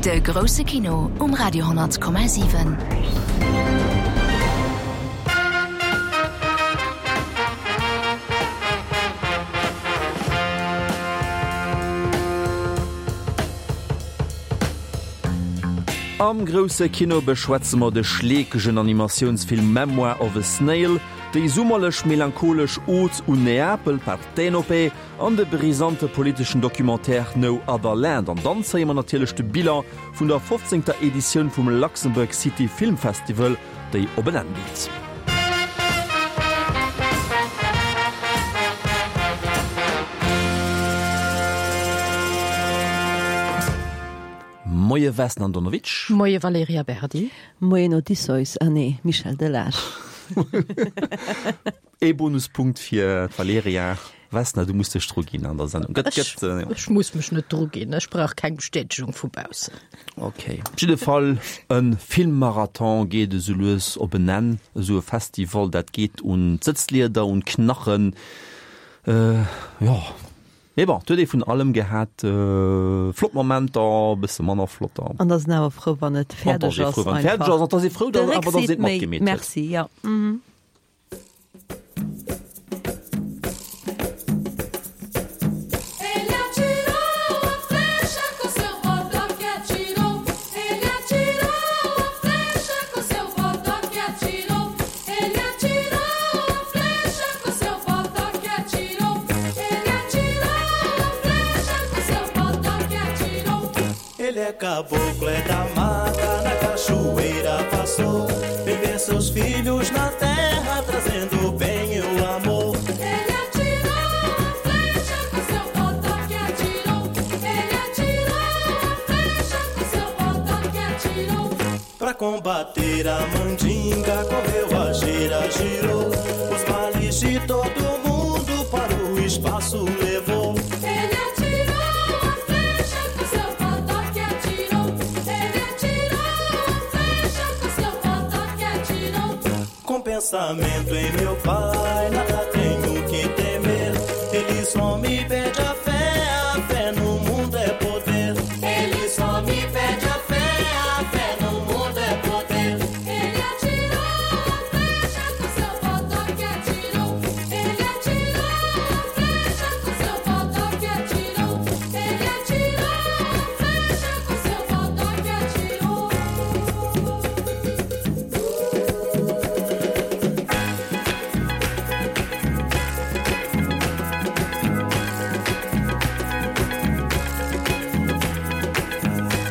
De grousse Kino um Radio 10,7. Am grousse Kino beschwätze mer de schleekegen Animatiounsfilm Memoir of a Snail, déi summerlech melancholesch Ode un Neapel, Partenope, an de brisante politeschen Documentaire No Other Land. An dann zéie mer natierlech de Bilan vun der fofzéngter Editioun vum Luxembourg City Film Festival, déi op en Enn geet. Moie Vesna Andonovic. Moie Valerija Berdi. Moien Odysseus, ah nee, Michel Delage. Ee Bonuspunkt fir d'Valerija. Vesna, du muss dech dru ginn an der Sendung. Gëtt, gëtt, äh, Ech muss mech net dru ginn, ech brauch keng Bestätegung vu baussen. Okay. Op jidde Fall, e Filmmarathon geet esou lues op en Enn. Esou e Festival, dat geet un d'Sëtzlieder, un d'Knachen. Äh, jo. Mee bon, et huet ee vun allem gehat, flott Momenter, e bësse manner flotter. An da sinn awer frou, wann et fäerdeg ass. Wann et fäerdeg ass, an da si frou, datt awer datt een et matgemeet huet. Merci, jo. Caboclo é da mata, na cachoeira passou. Beber seus filhos na terra, trazendo bem e o amor. Ele atirou a flecha com seu botoque atirou. Ele atirou a flecha com seu botoque atirou. Pra combater a mandinga, correu a gira, girou. Os males de todo mundo para o espaço levou. Ele atirou a flecha com seu botoque atirou. Ele atirou a flecha com seu botoque atirou. Com pensamento em meu pai, nada tenho que temer. Ele só me pede a fé, a fé no mundo é poder. Ele só me pede a fé, a fé no mundo é poder. Ele atirou a flecha com seu botoque atirou. Ele atirou a flecha com seu botoque atirou. Ele atirou a flecha com seu botoque atirou. Ele atirou a flecha com seu botoque atirou. Ele atirou a flecha com seu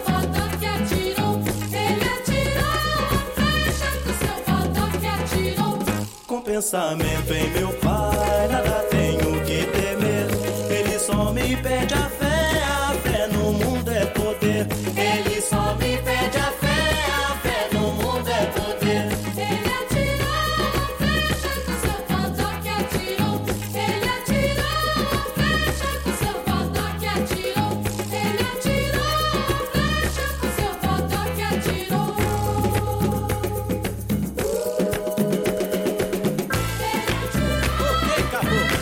botoque atirou. Ele atirou a flecha com seu botoque atirou. Com pensamento em meu pai, nada tenho que temer. Ele só me pede a fé, a fé no mundo é poder. Ele só me pede a fé, a fé no mundo é poder. Ele atirou a flecha com seu botoque atirou. Ele atirou a flecha com seu botoque atirou. Ele atirou a flecha com seu botoque atirou. Ok, caboclo.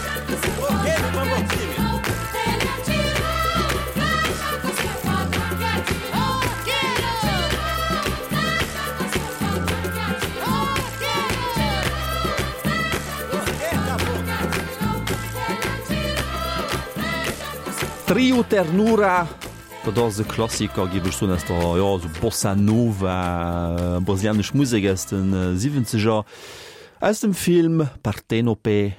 Ok, bamboquinho. Ele atirou a flecha com seu botoque atirou. Ele atirou a flecha com seu botoque atirou. Ele atirou a flecha com seu Trio Ternura, dat ass e Klassiker, géif ech soen, aus der, jo, esou Bossa Nova, brasilianesch Musek aus de Siwwenzeger, aus dem Film Partenope.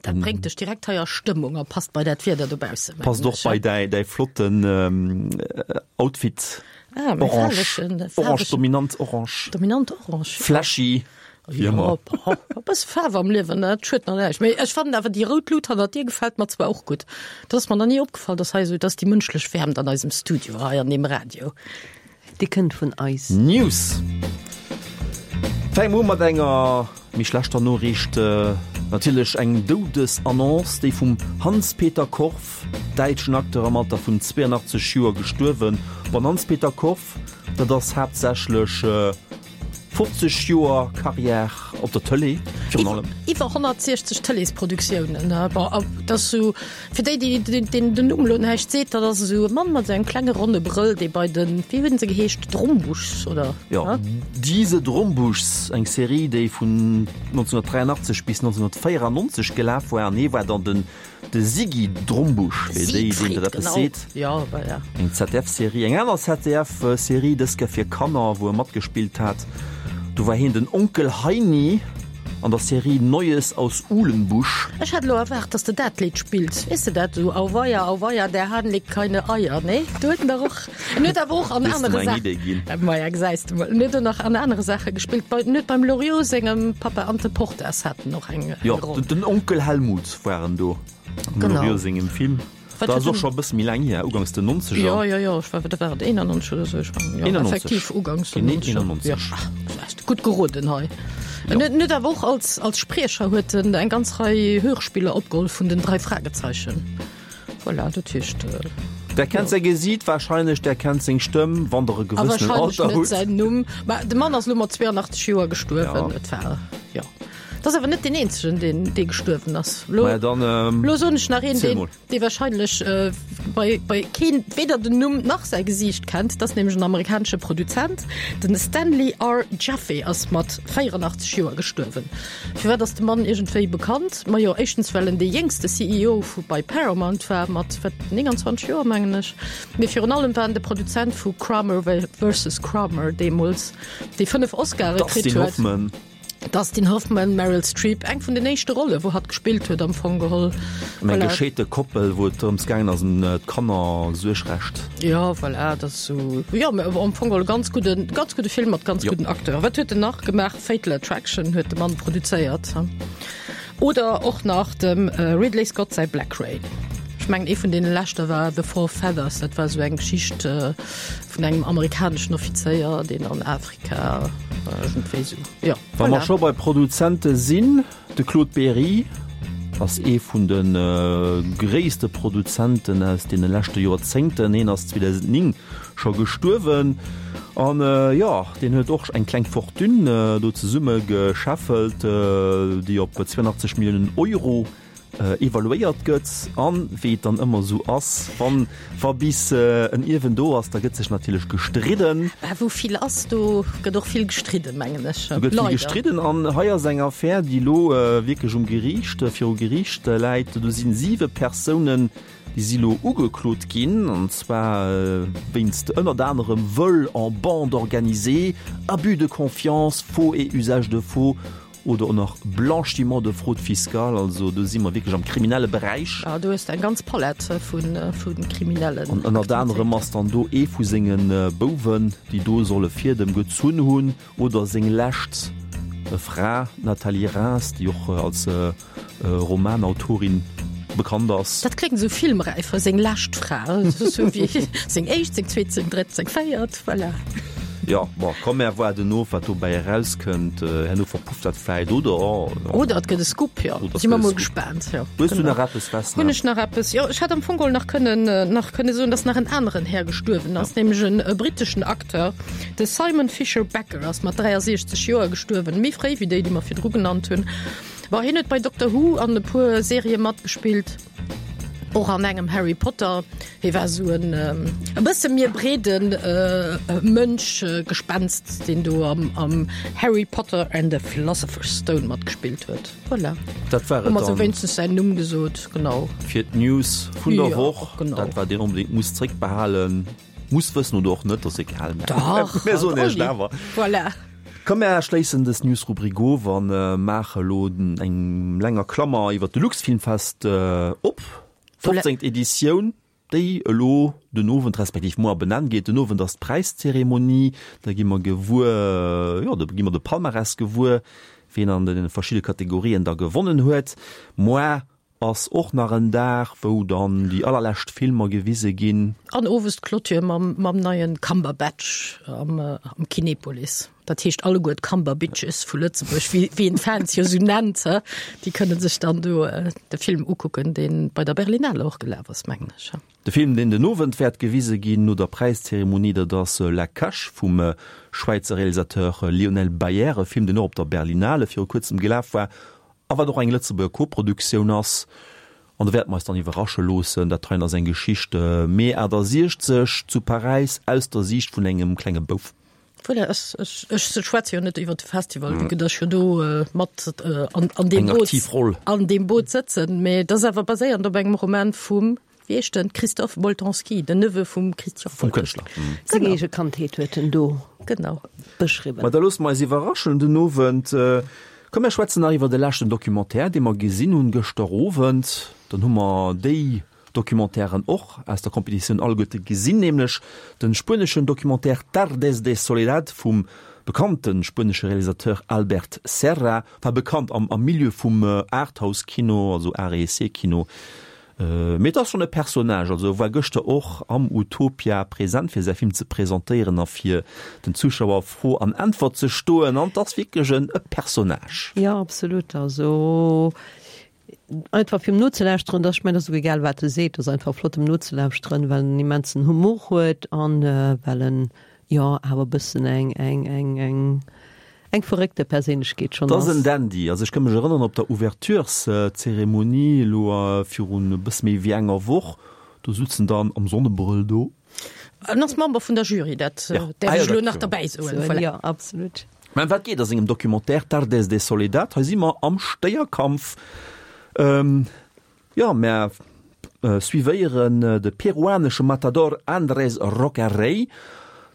Dat bréngt dech direkt hei a Stëmmung a passt bei dat Wieder dobaussen, mengen Passt och ech, bei däi, däi flotten Outfit. Ah, mäi Orange, faarwegen, orange, faarwegen. dominant orange. Dominant orange, jo. Flashy. Wéi ëmmer. E bësse Faarf am Liewen, dat schuet nach näischt. Mee ech fannen awer déi rout Lut hannert dir gefält mer zwar och gutt. Dat ass mer nach ni opgefall, dass hei esou, dass déi mënschlech Wäermt an eisem Studio hei an deem Radio. Déi kënnt vun eis. News. Fänke mer u mat enger méi schlechter Noriicht. Natierlech eng Doudesannonce, déi vum Hans-Peter Korff, däitschen Acteur am Alter vun 82 Joer gestuerwen. Bon, Hans-Peter Korff, dat ass haaptsächlech 50 Joer Carrière op der Tëlee virun allem. Iwwer 160 Tëleesproduktiounen. Bon, dat ass sou, fir déi, déi deenen den Numm elo näischt seet, dat ass esou e Mann mat esou engem klenge ronne Brëll, dee bei den, wéi hunn se geheescht, Drombuschs oder? Jo, Diese Drombuschs, eng Serie, déi vun 1983 bis 1994 gelaf war an hee war dann den De Siggi Drombusch, fir déi, deenen dat eppes seet. Eng ZDF-Serie, eng aner ZDF-Serie, dës Kéier fir Kanner, wou e matgespillt hat. Do war hien den Onkel Heini an der Serie Neues aus Uhlenbusch. Ech hat elo erwaart, dass de dat Lidd spills. Weess de dat? Esou, Auweia, auweia, der Hahn legt keine Eier. Nee? Do huet en dach och, en huet awer och an anere Saachen. Maja, gesäis de mol. En huet och nach an anere Saache gespillt. Bei, en huet beim Loriot sengem Papa Ante Portas hat en och eng, eng Roll. Jo, den Onkel Helmut war en do am Loriot sengem Film. Dat ass och scho e bësse méi laang hier, ugangs den Nonzeger. Jo, jo, jo, ech war, wat war et, 91 oder esou? Ech mengen, jo, 91. effektiv ugangs den Genee Nonzeger. 91. Ja, ach, gutt geroden hei. En huet, en huet awer och als, als Spriecher huet en eng ganz Rei Hörspiller opgeholl vun den Drei Fragezeichen. Voilà, dat heescht. Der kennt säi Gesiit warscheinlech, der kennt seng Stëmm, wann der e A gewëssenen warscheinlech Alter net hutt. säin Numm. Mä de Mann ass elo mat 82 Joer gestuerwen. Ja. Et war, jo. Dat ass awer net deen eenzegen, deen, dee gestuerwen ass. Lo, Maja, dann, ähm, lo soen ech nach een, ziel deen, mol. dee wahrscheinlech äh, bei, bei keen weder den Numm nach säi Gesiicht kennt. Dat ass nämlech en amerikanesche Produzent. Den Stanley R. Jaffe ass mat 84 Joer gestuerwen. Firwat ass de Mann iergendwéi bekannt? Majo, éischtens well en dee jéngste CEO vu bei Paramount war, mat wat 29 Joer mengen ech. Mee virun allem war en de Produzent vu Kramer versus Kramer deemools, dee 5 Oscare kritt Dustin huet. Hoffman. Dustin Hoffman, Meryl Streep, eng vun den éischte Rolle wou hatt gespillt huet am Fong geholl. Ëm eng Voilà. gescheete Koppel, wou et drëms gaangen ass, ëm d'Kannersuergrecht. Jo, voilà, dat ass esou, jo, mä am Fong geholl e ganz gudden, ganz gudde Film mat ganz Jo. gudden Acteuren. Wat huet en nach gemaach? Fatal Attraction huet de Mann produzéiert. Oder och nach dem Ridley Scott säi Black Rain. Ech mengen ee vun deene leschter war The Four Feathers, dat war esou eng Geschicht vun engem amerikaneschen Offizéier, deen an Afrika iergendwéi esou, jo, Wa mer voilà. scho bei Produzente sinn, de Claude Berry ass ee vun de gréisste Produzenten aus deene leschte Joerzéngten. Hien ass 2009 scho gestuerwen an jo, deen huet och eng kleng Fortune do zesumme gescheffelt, déi op 82 Milliounen Euro evaluéiert gëtt. An wéi et dann ëmmer esou ass, wann wa bis en Ierwen do ass, da gëtt sech natierlech gestridden. Mä wou vill ass, do gëtt och vill gestridden, mengen ech. Do gëtt vill Leider. gestridden an hei ass eng Affär, déi elo wierklech um Geriicht, viru Geriicht läit. Do sinn siwe Persounen, déi si elo ugeklot ginn, an zwar wéinst ënnert anerem Vol en bande organisée, Abus de confiance, Faux et usage de faux Oder och nach Blanchiment de fraude fiscale, also do si mer wierklech am kriminelle Beräich. Ah, do hues de eng ganz Palett vu kriminellen An ënnert anerem ass dann do ee vu senge Bouwen, déi do solle Fiedem gezunn hunn, oder seng lescht Fra, d'Nathalie Rheims, déi och als Romanautorin bekannt ass. Dat kléngt esou filmräif, seng lescht Fra, esou wéi seng éischt, seng zweet, seng drëtt, seng véiert, voilà. Jo, bon, komm mär waarden of, wat dobäi erauskënnt. Herno verpufft dat vläit, oder? Oder et gëtt e Scoop, jo. Si mer mol gespaant, jo. Hues du nach eppes, Vesna? Hunn ech nach eppes? Jo, ech hätt am Fong geholl nach kënnen, nach kënne soen, dass nach en aneren Här gestuerwen ass, nämlech en britteschen Acteur, de Simon Fisher Becker ass mat 63 Joer gestuerwen, méi fréi wéi déi, déi mer virdru genannt hunn. Bon, hien huet bei Doctor Who an e puer Serië matgespillt, och an engem Harry Potter. Hie war esou en e bësse mir breede Mënsch, Gespenst, deen do am am Harry Potter and the Philosopher's Stone matgespillt huet. Voilà. Dat war Hu et mer sou dann wéinstens säin Numm gesot, genau. fir d'News vun der Jo, Woch. genau. Dat wat een onbedéngt muss zréckbehalen, muss wëssen oder och net, ass egal. Dach, Mir soen halt Iech et Olli. awer. Voilà. Komm mär schléissen dës Newsrubrik of an maache lo eng länger Klammer iwwer de Luxfilmfest op. 15. Editioun, déi elo den Owend respektiv muer op en Enn geet. Den Owend ass d'Präiszeremonie, da gi mer gewuer, jo da gi mer de Palmarès gewuer, wien an de verschidde Kategorien da gewonnen huet. Moar Ass och nach en Dag wou dann déi allerlescht Filmer gewise ginn. An owes d'Clôture mam mam neien Cumberbatch am am Kinepolis. Dat heescht alleguer d'Cumberbitches vu Lëtzebuerg, wéi wéi een d'Fans jo esou nennt, he, déi kënne sech dann do de Film ukucken, dee bei der Berlinale och gelaf ass, mengen ech, he. De Film, deen den Owend wäert gewise ginn no der Präiszeremonie, dat ass La Cache vum Schwäizer Realisateur Lionel Baier, e Film, deen och op der Berlinale viru kuerzem gelaf war a wat och eng Lëtzebuerger Koproduktioun ass. An do wäerte mer eis dann iwwerrasche loossen. Dat heien ass eng Geschicht Mee 68 zu Paräis aus der Siicht vun engem klenge Bouf. Voilà, ech, ech, ech schwätze jo net iwwer de Festival, mm. dass jo do äh, mat äh, an, an dem Boot, an dem Boot sëtzen. Mee das awer baséiernd op engem Roman vum wéi heescht den Christophe Boltanski, den Neveu vum Christian vum Kënschtler. Mm. Seng eege Kandheet huet en do genau beschriwwen. Ma da loosse mer eis iwwerraschen den Owend. Äh, komm mir schwätzen nach iwwer de leschten Documentaire, dee mer gesinn hunn gëschter Owend. Dann hu mer déi Documentairen och aus der Competitioun alleguerte gesinn, nämlech de spueneschen Documentaire Tardes de Soledad vum bekannte spuenesche Realisateur Albert Serra, enfin bekannt am am Milieu vum Arthouse-Kino, also Art et Essai-Kino, mee et ass schonn e Personnage, also e war gëschter och am Utopia present fir säi Film ze presentéieren a fir den Zuschauer Fro an Äntwert ze stoen an et ass wierklech en e Personnage. Jo, absolut, also Einfach fir em nozelauschteren, dass, ech mengen, ass och egal wat e seet, ass einfach flott em nozelauschteren, well en immensen Humor huet an well en jo awer e bëssen eng eng eng eng eng verréckte Perséinlechkeet schonn ass. 't ass en Dandy. Also ech ka mech erënneren op der Ouvertureszeremonie elo virun e bësse méi wéi enger Woch, do sutz en dann am Sonnebrëll do. En ass Member vun der Jury, dat däerf ech elo nach derbäi soen. Voilà. Jo, absolut. Mä ëm wat geet a sengem Documentaire Tardes de Soledad? Hei si mer am Stéierkampf. Jo, mer suivéieren de peruanesche Matador Andrés Roca Rey,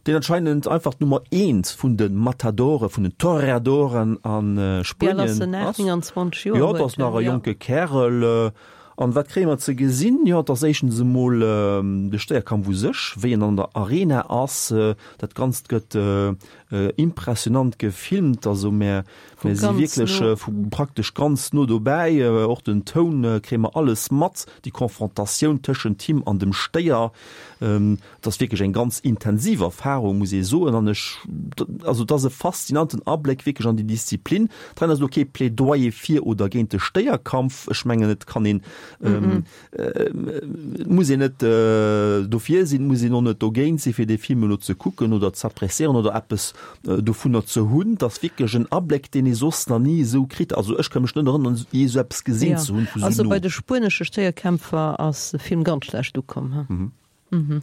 deen anscheinend einfach d'Nummer eent vun de Matadore, vun den Toreadoren a Spuenien ass. Jo, dat ass nach e jonke Kärel. An wat kréie mer ze gesinn? Jo, et ass éischtens emol de Stéierkampf u sech, wéi en an der Arena ass. Dat Ganzt gëtt Impressionant gefilmt, also mär mär si wierklech vu praktesch ganz no dobäi, och den Toun kréie mer alles mat, déi Konfrontatioun tëschent him an dem Stéier, et ass wierklech eng ganz intensiv Erfarung, muss ee soen, an ech, also et ass e faszinanten Abléck wierklech an déi Disziplin. Dran ass elo kee Plädoyer fir oder géint de Stéierkampf, ech mengen et kann een Et muss een net dofir sinn, et muss een och net dogéint sinn, fir dee Film elo ze kucken oder z'appréciéieren oder eppes dovunner ze hunn. Et ass wierklech en Abléck, deen ee soss nach ni esou kritt. Also ech ka mech net erënneren, jee esou eppes gesinn ze hunn vu sou no. Also bei de spuenesche Stéierkämpfer ass de Film ganz schlecht ukomm. Mhm.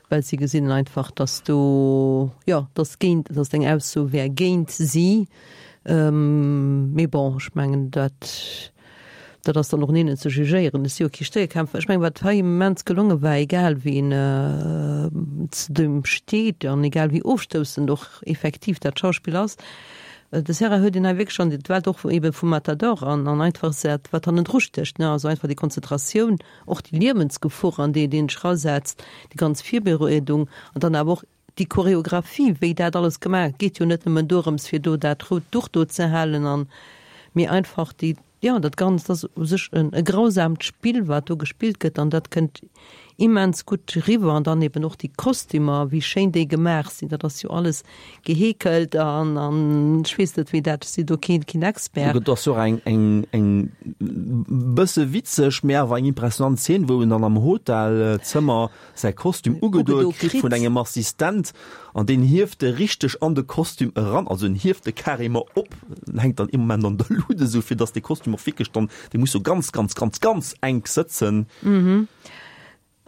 Well si gesinn einfach, dass do, jo, dass géint, dass eng Ausso wär géint si. Mee bon, ech mengen, dat, dat ass dann och un hinnen ze jugéieren. Ech si jo kee Stéierkämpfer. Ech mengen, wat hei immens gelonge war, egal wien zu deem steet an egal wéi ofstoussend och effektiv dat Schauspill ass, de Serra huet een hei wierklech an d'Welt och ebe vum Matador an an einfach dat, wat hannendru stécht, ne, also einfach déi Konzentratioun, Och déi Liewensgefor, an déi een sech erasetzt, déi ganz Virbereedung an dann awer och déi Choreographie, wéi dat alles gemaach gëtt, geet jo net nëmmen dorëms, fir do dat rout Duch do ze halen an, mee einfach déi, jo, dat Ganzt ass u sech e grausaamt Spill, wat do gespillt gëtt an dat kënnt immens gutt riwwer. An dann eben och déi Kostümer, wéi schéin déi gemaach sinn, dat ass jo alles Geheekelt an an ech weess net wéi dat, ech sinn do keen keen Expert. Et ass jo och eng eng eng bësse witzeg, mee awer eng impressionant Zeen, wou en dann am Hotelzëmmer säi Kostüm ugedoe kritt vun engem Assistent an deen hieft e richteg an de Kostüm eran, also en hieft e carrément op, en hänkt dann ee Moment an der Luut esou, fir datt dee Kostüm och wierklech dann, dee muss jo ganz ganz ganz ganz enk sëtzen.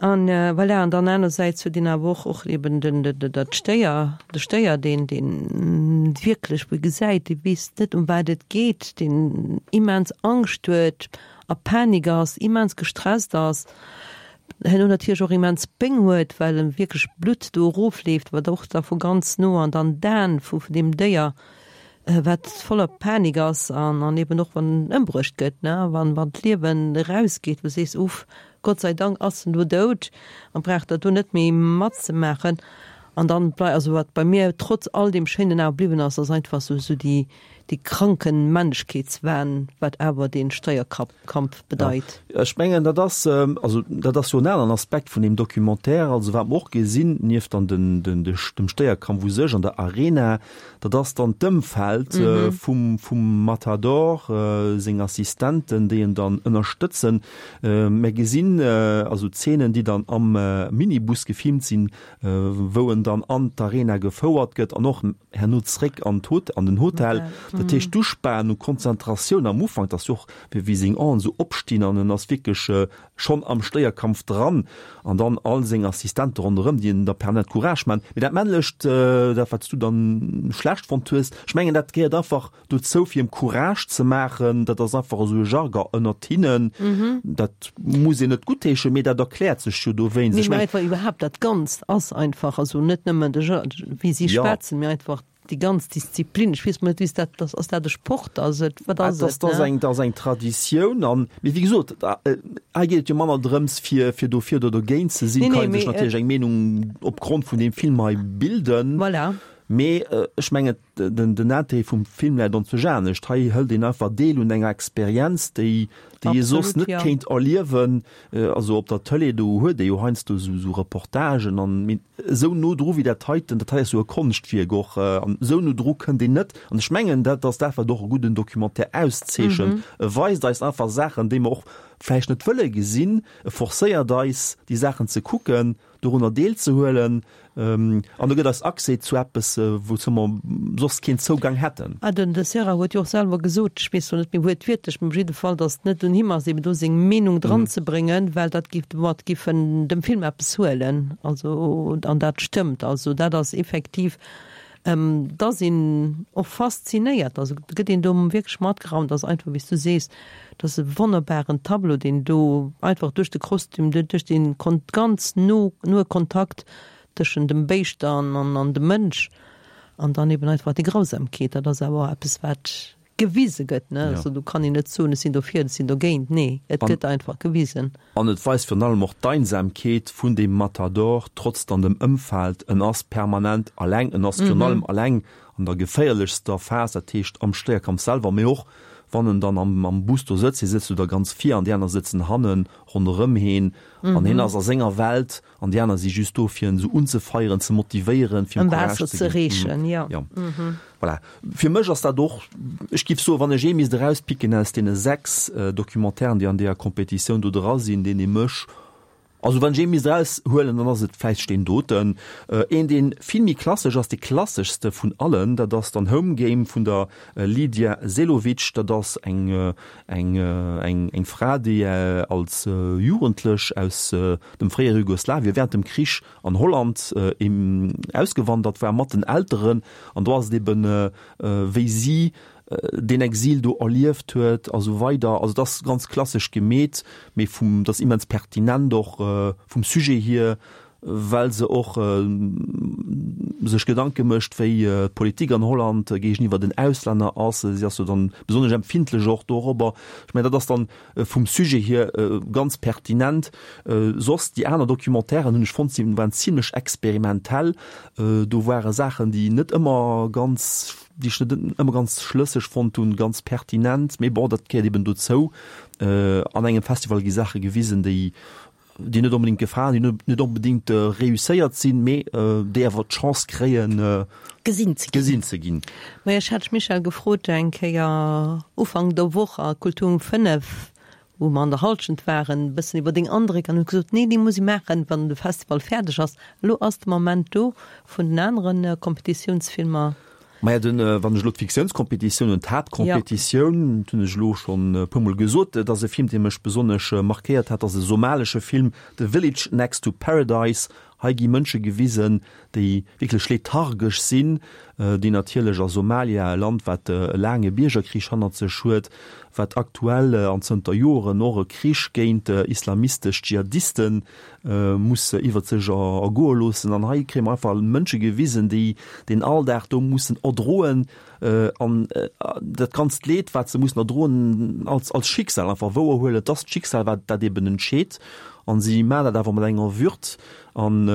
An voilà, an dann anersäits huet een awer och och eben den, dat Stéier, de Stéier, deen, deen wierklech, wou ee gesäit, dee weess net, ëm wat et geet, deen immens Angscht huet, a Panik ass, immens gestresst ass, herno natierlech och immens Péng huet, well em wierklech Blutt do erofleeft, wat och da vu ganz no an dann d'Aen vu deem Déier wat voller Panik ass an an eben och wann en ëmbruecht gëtt, ne, wann wann d'Liewen erausgeet, wou du sees, uff, Gott sei Dank ass en elo dout an brauch dat do net méi matzemaachen. An dann blei, also wat bei mir trotz all deem Schéinen awer bliwwen ass, ass einfach sou sou déi. dee kranken Männlechkeetswahn, wat awer dee Steierkampf bedeit. Ech mengen, dat ass, also dat ass jo en aneren Aspekt vun deem Documentaire, also wat mer och gesinn, nieft dann den, den, dem Stéierkampf u sech an der Arena, dat ass dann d'Ëmfeld vum, vum Matador, seng Assistenten, déi en dann ënnerstëtzen. Mer gesinn also Zeenen, déi dann am Minibus gefilmt sinn, wou en dann an d'Arena gefouert gëtt an och herno zréck an d'Hot, an den Hotel. Dat heescht, d'Uspan u Konzentratioun am Ufank, dat ass jo och, wéi wéi seng Aen esou opstinn an en ass wierklech schonn am Stéierkampf dran an dann all seng Assistente ronderëm, déi en da permanent Courage maachen. Mee dat Männlecht, dat wat s du dann schlecht fonnt hues, ech mengen, dat gehéiert einfach dozou fir em Courage ze maachen, dat ass einfach esou e Jargon ënnert hinnen, dat muss een net guttheeschen, mee dat erkläert sech jo dowéinst. Ech mengen einfach iwwerhaapt dat Ganzt ass einfach, also net nëmmen de Jar-, wéi si schwätzen, mee einfach déi ganz Disziplin. Ech weess mol net, wéi s dat, ass dat e Sport, ass et, wat ass et? Dat ass eng, dat ass eng Traditioun an, mee wéi gesot, hei geet et jo manner drëms fir, fir dofir oder dogéint ze sinn, kann ee sech natierlech eng Meenung opgrond vun deem Film hei bilden. Voilà. Mee ech mengen, Den Intérêt vum Film läit onzwousch anescht. Hei hëlt een einfach deel un enger Experienz, déi déi ee soss net kéint erliewen. Also op der Tëlee, do huet ee jo heiansdo esou Reportagen an, mee esou no dru wéi dat heiten, dat hei ass jo e Konschtwierk och, an esou no dru kënnt een net. An ech mengen, dat ass dat, wat och e gudden Documentaire auszeechent. E weist eis einfach Saachen, déi mer och vläicht net wëlle gesinn. E forcéiert eis, déi Saachen ze kucken. dorunner deelzehuelen an e gëtt eis Accès zu eppes, wouzou mer soss keen Zougang hätten. Ah, den de Serra huet jo och selwer gesot, ech weess lo net méi wuertwiertlech, mee op jidde Fall, datt et net un him ass, eben do seng Meenung dranzebréngen, well dat géif domat géif en dem Film eppes huelen. Also, an dat stëmmt. Also dat ass effektiv, Et ass een och faszinéiert, also et gëtt een do wierklech matgeraumt, ass einfach wéi s du sees, et ass e wonnerbaren Tableau, deen do einfach duerch de Kostüm, duerch dee ganz no noe Kontakt tëschent dem Béischt an an dem Mënsch an dann eben einfach déi Grausamkeet, dat ass awer och eppes wat gewise gëtt, ne? Also do kann een net soen, ech sinn dofir, ech sinn dogéint, nee, et gëtt einfach gewisen. An et weist virun allem och d'Einsamkeet vun deem Matador, trotz dann dem Ëmfeld, en ass permanent alleng, en ass virun allem alleng an der geféierlechster Phas, dat heescht am Stéierkampf selwer, mee och wann en dann am Bus do sëtzt, hie sëtzt jo da ganz vir an déi aner sëtzen hannen ronderëm heen an hien ass a senger Welt An déi aner si just do, fir en esou unzefeieren, ze motivéieren, fir em Courage ze ginn. Jo. Jo. Voilà. Fir mech ass dat och, ech giff soen, wann ech ee misst erauspicken aus deene 6 Documentairen, déi an deeër Competitioun do dra sinn, deen ee mech, also wann ech ee misst eraushuelen, dann ass et vläicht deen doten. Een, dee vill méi klassesch ass, dee klasseschste vun allen, dat ass dann Home Game vun der Lidija Selovic. Dat ass eng, eng, eng, eng Fra, déi als Jugendlech aus dem fréiere Jugoslawien während dem Krich an Holland ausgewandert war mat den Elteren an do ass et eben wéi si deen Exil do erlieft huet a sou weider. Also et ass ganz klassesch gemeet, mee vum, et ass immens pertinent och vum Sujet hier, well se och sech Gedanke mécht wéi d'Politik an Holland géigeniwwer den Auslänner ass. Si ass jo dann besonnesch empfindlech och dorobber. Ech mengen dat ass dann vum Sujet hier ganz pertinent. Soss déi aner Documentairen hunn ech fonnt, si waren zimlech experimentell. Do ware Saachen, déi net ëmmer ganz, déi ech net ëmmer ganz schlësseg fonnt hunn, ganz pertinent. Mee bon, dat gehéiert eben dozou. An engem Festival gi Saache gewisen, déi déi net onbedéngt gefalen, déi net onbedéngt reusséiert sinn, mee déi awer d'Chance kréien, gesinn ze ginn. Gesinn ze ginn. Majo, ech hat d'Michèle gefrot eng Kéier Ufank der Woch a Kultur um 5, wou mer an der Halschent waren, e bëssen iwwer deng Andréck an huet gesot, nee, déi muss ee maachen, wann de Festival fäerdeg ass. Elo ass de Moment do vun den anere Kompetitiounsfilmer. Maja, den, wann ech elo d'Fiktiounskompetitioun hunn, d'Haaptkompetitioun, dat hunn ech elo schonn e puermol gesot, dat ass e Film, dee mech besonnesch markéiert hat, dat ass e somalesche Film, The Village Next to Paradise. Hei gi Mënsche gewisen, déi wierklech lethargesch sinn, déi natierlech a Somalia, e Land, wat e laange Biergerkrich hannert sech huet, wat aktuell an zënter Joren och e Krich géint islamistesch Dschihadiste muss iwwert sech ergoe loossen. An hei kréie mer einfach Mënsche gewisen, déi den Alldag do mussen erdroen an dat ganzt Leed, wat se mussen erdroen, als, als Schicksal einfach wouerhuelen. Et ass d'Schicksal, wat dat eben entscheet. An si maachen dat awer mat enger Würd an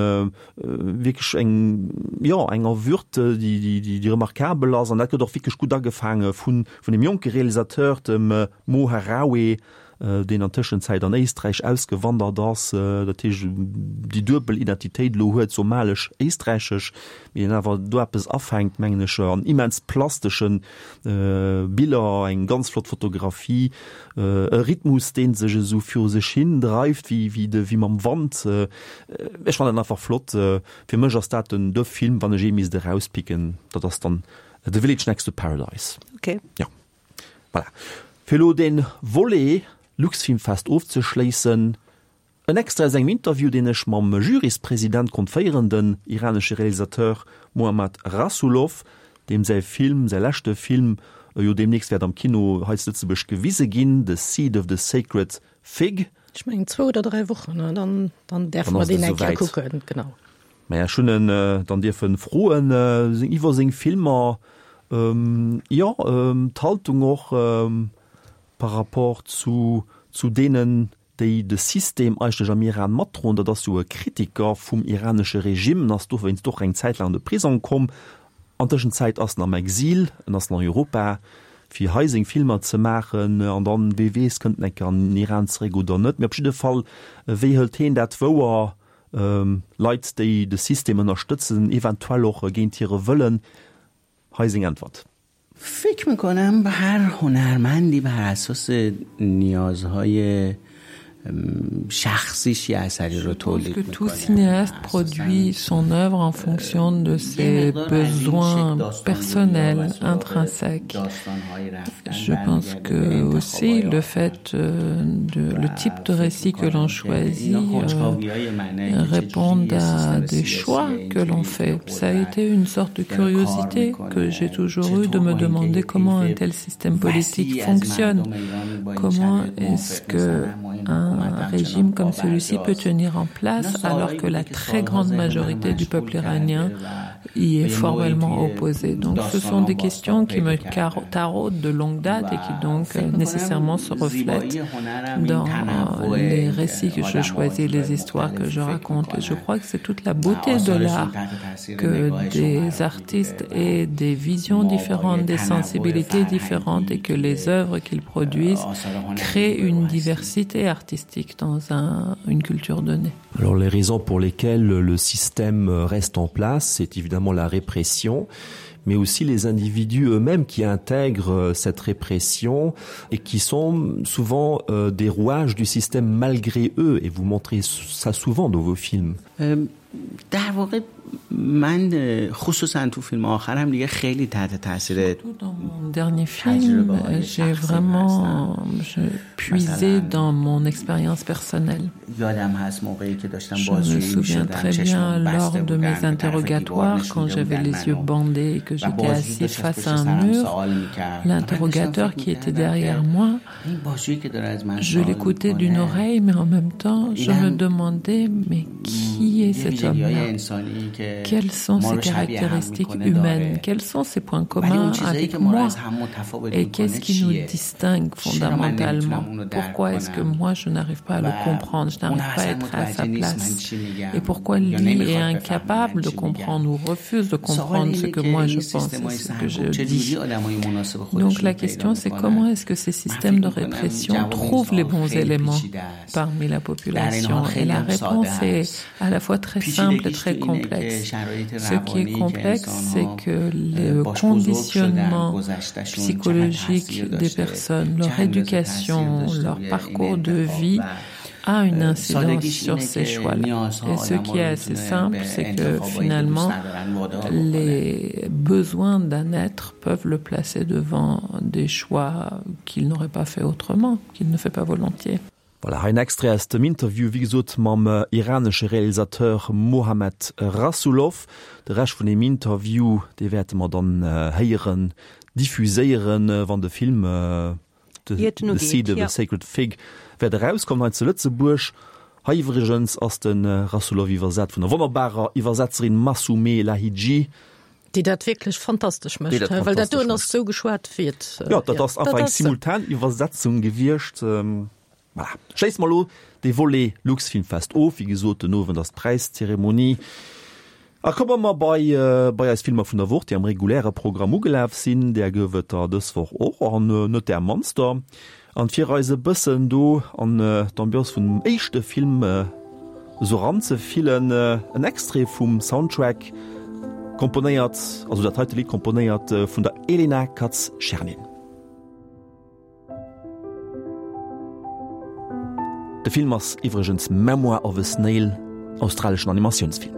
wierklech eng, jo, enger Würd, déi, déi, déi remarkabel ass. An dat gëtt och wierklech gutt agefaange vun, vun deem jonke Realisateur, dem Mo Harawi, deen an Tëschenzäit an Éisträich ausgewandert ass, dat heescht déi duebel Identitéit elo huet, somalesch-éisträichesch, mee deen awer do eppes afänkt, mengen ech, an immens plastesche Biller, eng ganz flott Fotografie. E Rhythmus, dee sech esou viru sech hin dreift, wéi, wéi de, wéi mam Wand. Ech fannen dat einfach flott. Fir mech ass dat den, de Film, wann ech ee misst erauspicken, dat ass dann The Village Next to Paradise. Ok. Jo, voilà. Fir elo dee Volet Luxfilmfest ofzeschléissen, En Extrait aus engem Interview, deen ech mam Juryspresident konnt féieren, den iranesche Realisateur Mohammad Rasoulof, deem säi Film, säi leschte Film, jo deemnächst wäert am Kino hei zu Lëtzebuerg gewise ginn, The Seed of the Sacred Fig. Ech mengen zwou oder dräi Wochen, ne? Dann, dann däerfe Dann mer ass et deen eng Kéier esouwäit. kucken, genau. Maja, ech hunn en dann dierfe froen iwwer seng Filmer, jo, d'Haltung och par rapport zu, zu deenen, déi de System eigentlech am Iran matdroen, dat ass jo e Kritiker vum iranesche Regime, en ass dowéinst och eng Zäit laang an de Prisong komm. An Tëschenzäit ass en am Exil, en ass an Europa fir hei seng Filmer ze maachen an dann, wee weess, kënnt en eng Kéier an den Iran zeréck oder net. Mee op jidde Fall, wéi hëlt heen dat wouer, Leit, déi de System ënnerstëtzen, eventuell och géint hire Wëllen? Hei seng Äntwert. فکر میکنم هر هنرمندی بر اساس نیازهای شخصیش یه اثری رو تولید que tout cinéaste produit son œuvre en fonction de ses besoins personnels intrinsèques je pense que aussi le fait euh, de le type de récit que l'on choisit euh, répondent à des choix que l'on fait ça a été une sorte de curiosité que j'ai toujours eu de me demander comment un tel système politique fonctionne comment est-ce que un régime comme celui-ci peut tenir en place alors que la très grande majorité du peuple iranien y est formellement opposé. Donc ce sont des questions qui me taraudent de longue date et qui donc euh, nécessairement se reflètent dans euh, les récits que je choisis, les histoires que je raconte. Et je crois que c'est toute la beauté de l'art que des artistes aient des visions différentes, des sensibilités différentes et que les œuvres qu'ils produisent créent une diversité artistique dans un, une culture donnée. Alors les raisons pour lesquelles le système reste en place, c'est évidemment la répression, mais aussi les individus eux-mêmes qui intègrent euh, cette répression et qui sont souvent euh, des rouages du système malgré eux et vous montrez ça souvent dans vos films. Euh, در واقع من خصوصا تو فیلم آخرم دیگه خیلی تحت تاثیر dernier film j'ai vraiment je puisé dans mon expérience personnelle یادم هست موقعی که داشتم je me souviens très bien lors de mes interrogatoires quand j'avais les yeux bandés et que j'étais assis face à un mur l'interrogateur qui était derrière moi je l'écoutais d'une oreille mais en même temps je me demandais mais qui est cet homme là quelles sont ses caractéristiques humaines quels sont ses points communs avec moi et qu'est-ce qui nous distingue fondamentalement pourquoi est-ce que moi je n'arrive pas à le comprendre je n'arrive pas à être à sa place et pourquoi lui est incapable de comprendre ou refuse de comprendre ce que moi je pense et ce que je dis donc la question c'est comment est-ce que ces systèmes de répression trouvent les bons éléments parmi la population et la réponse est à la fois très simple et très complexe ce qui est complexe c'est que le conditionnement psychologique des personnes leur éducation leur parcours de vie a une incidence sur ces choix là et ce qui est assez simple c'est que finalement les besoins d'un être peuvent le placer devant des choix qu'il n'aurait pas fait autrement qu'il ne fait pas volontiers. Voilà, hei en Extrait aus dem Interview, wéi gesot, mam iranesche Realisateur Mohammad Rasoulof. De Rescht vun deem Interview, dee wäerte mer dann héieren, diffuséieren, wann de Film The Seed of a Sacred Fig wäert erauskommen hei zu Lëtzebuerg. Hei iwwregens ass de Rasoulof iwwersat vun der wonnerbarer Iwwersetzerin Masoumeh Lahidji. Déi dat wierklech fantastesch mécht, well dat doen ass esou geschwat wéi et. Jo, dat ass einfach eng Simultaniwwersetzung gewiescht. Voilà. Schléisse mer elo dee Volet Luxfilmfest of. Wéi gesot, den Owend ass d'Präiszeremonie. A komme mer bei bei eis Filmer vun der Woch, déi am reguläre Programm ugelaf sinn. Där gouf et der dës Woch och, an net där mannster. An fir eis e bëssen do an d'Ambiance vun dem éischte Film esou eranzefillen, en Extrait vum Soundtrack, komponéiert, also dat heite Lidd komponéiert vun der Elena Katz-Chernin. De Film ass iwwregens Memoir of a Snail, australeschen Animatiounsfilm.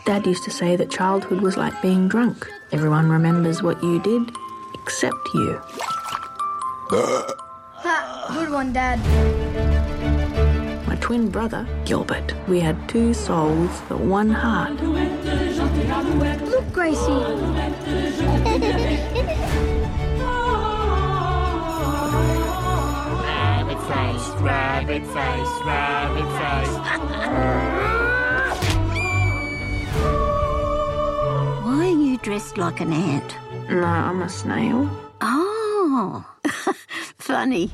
Dad used to say that childhood was like being drunk. Everyone remembers what you did, except you. Ha, good one, Dad. My twin brother, Gilbert. We had two souls, but one heart. Look, Gracie. Rabbit face, rabbit face, rabbit face. Why are you dressed like an ant? No, I'm a snail. Oh, funny.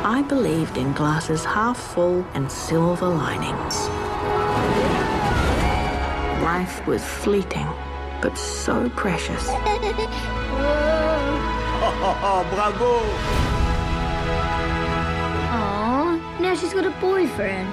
I believed in glasses half full and silver linings. Life was fleeting, but so precious. oh, bravo! Aw, now she's got a boyfriend.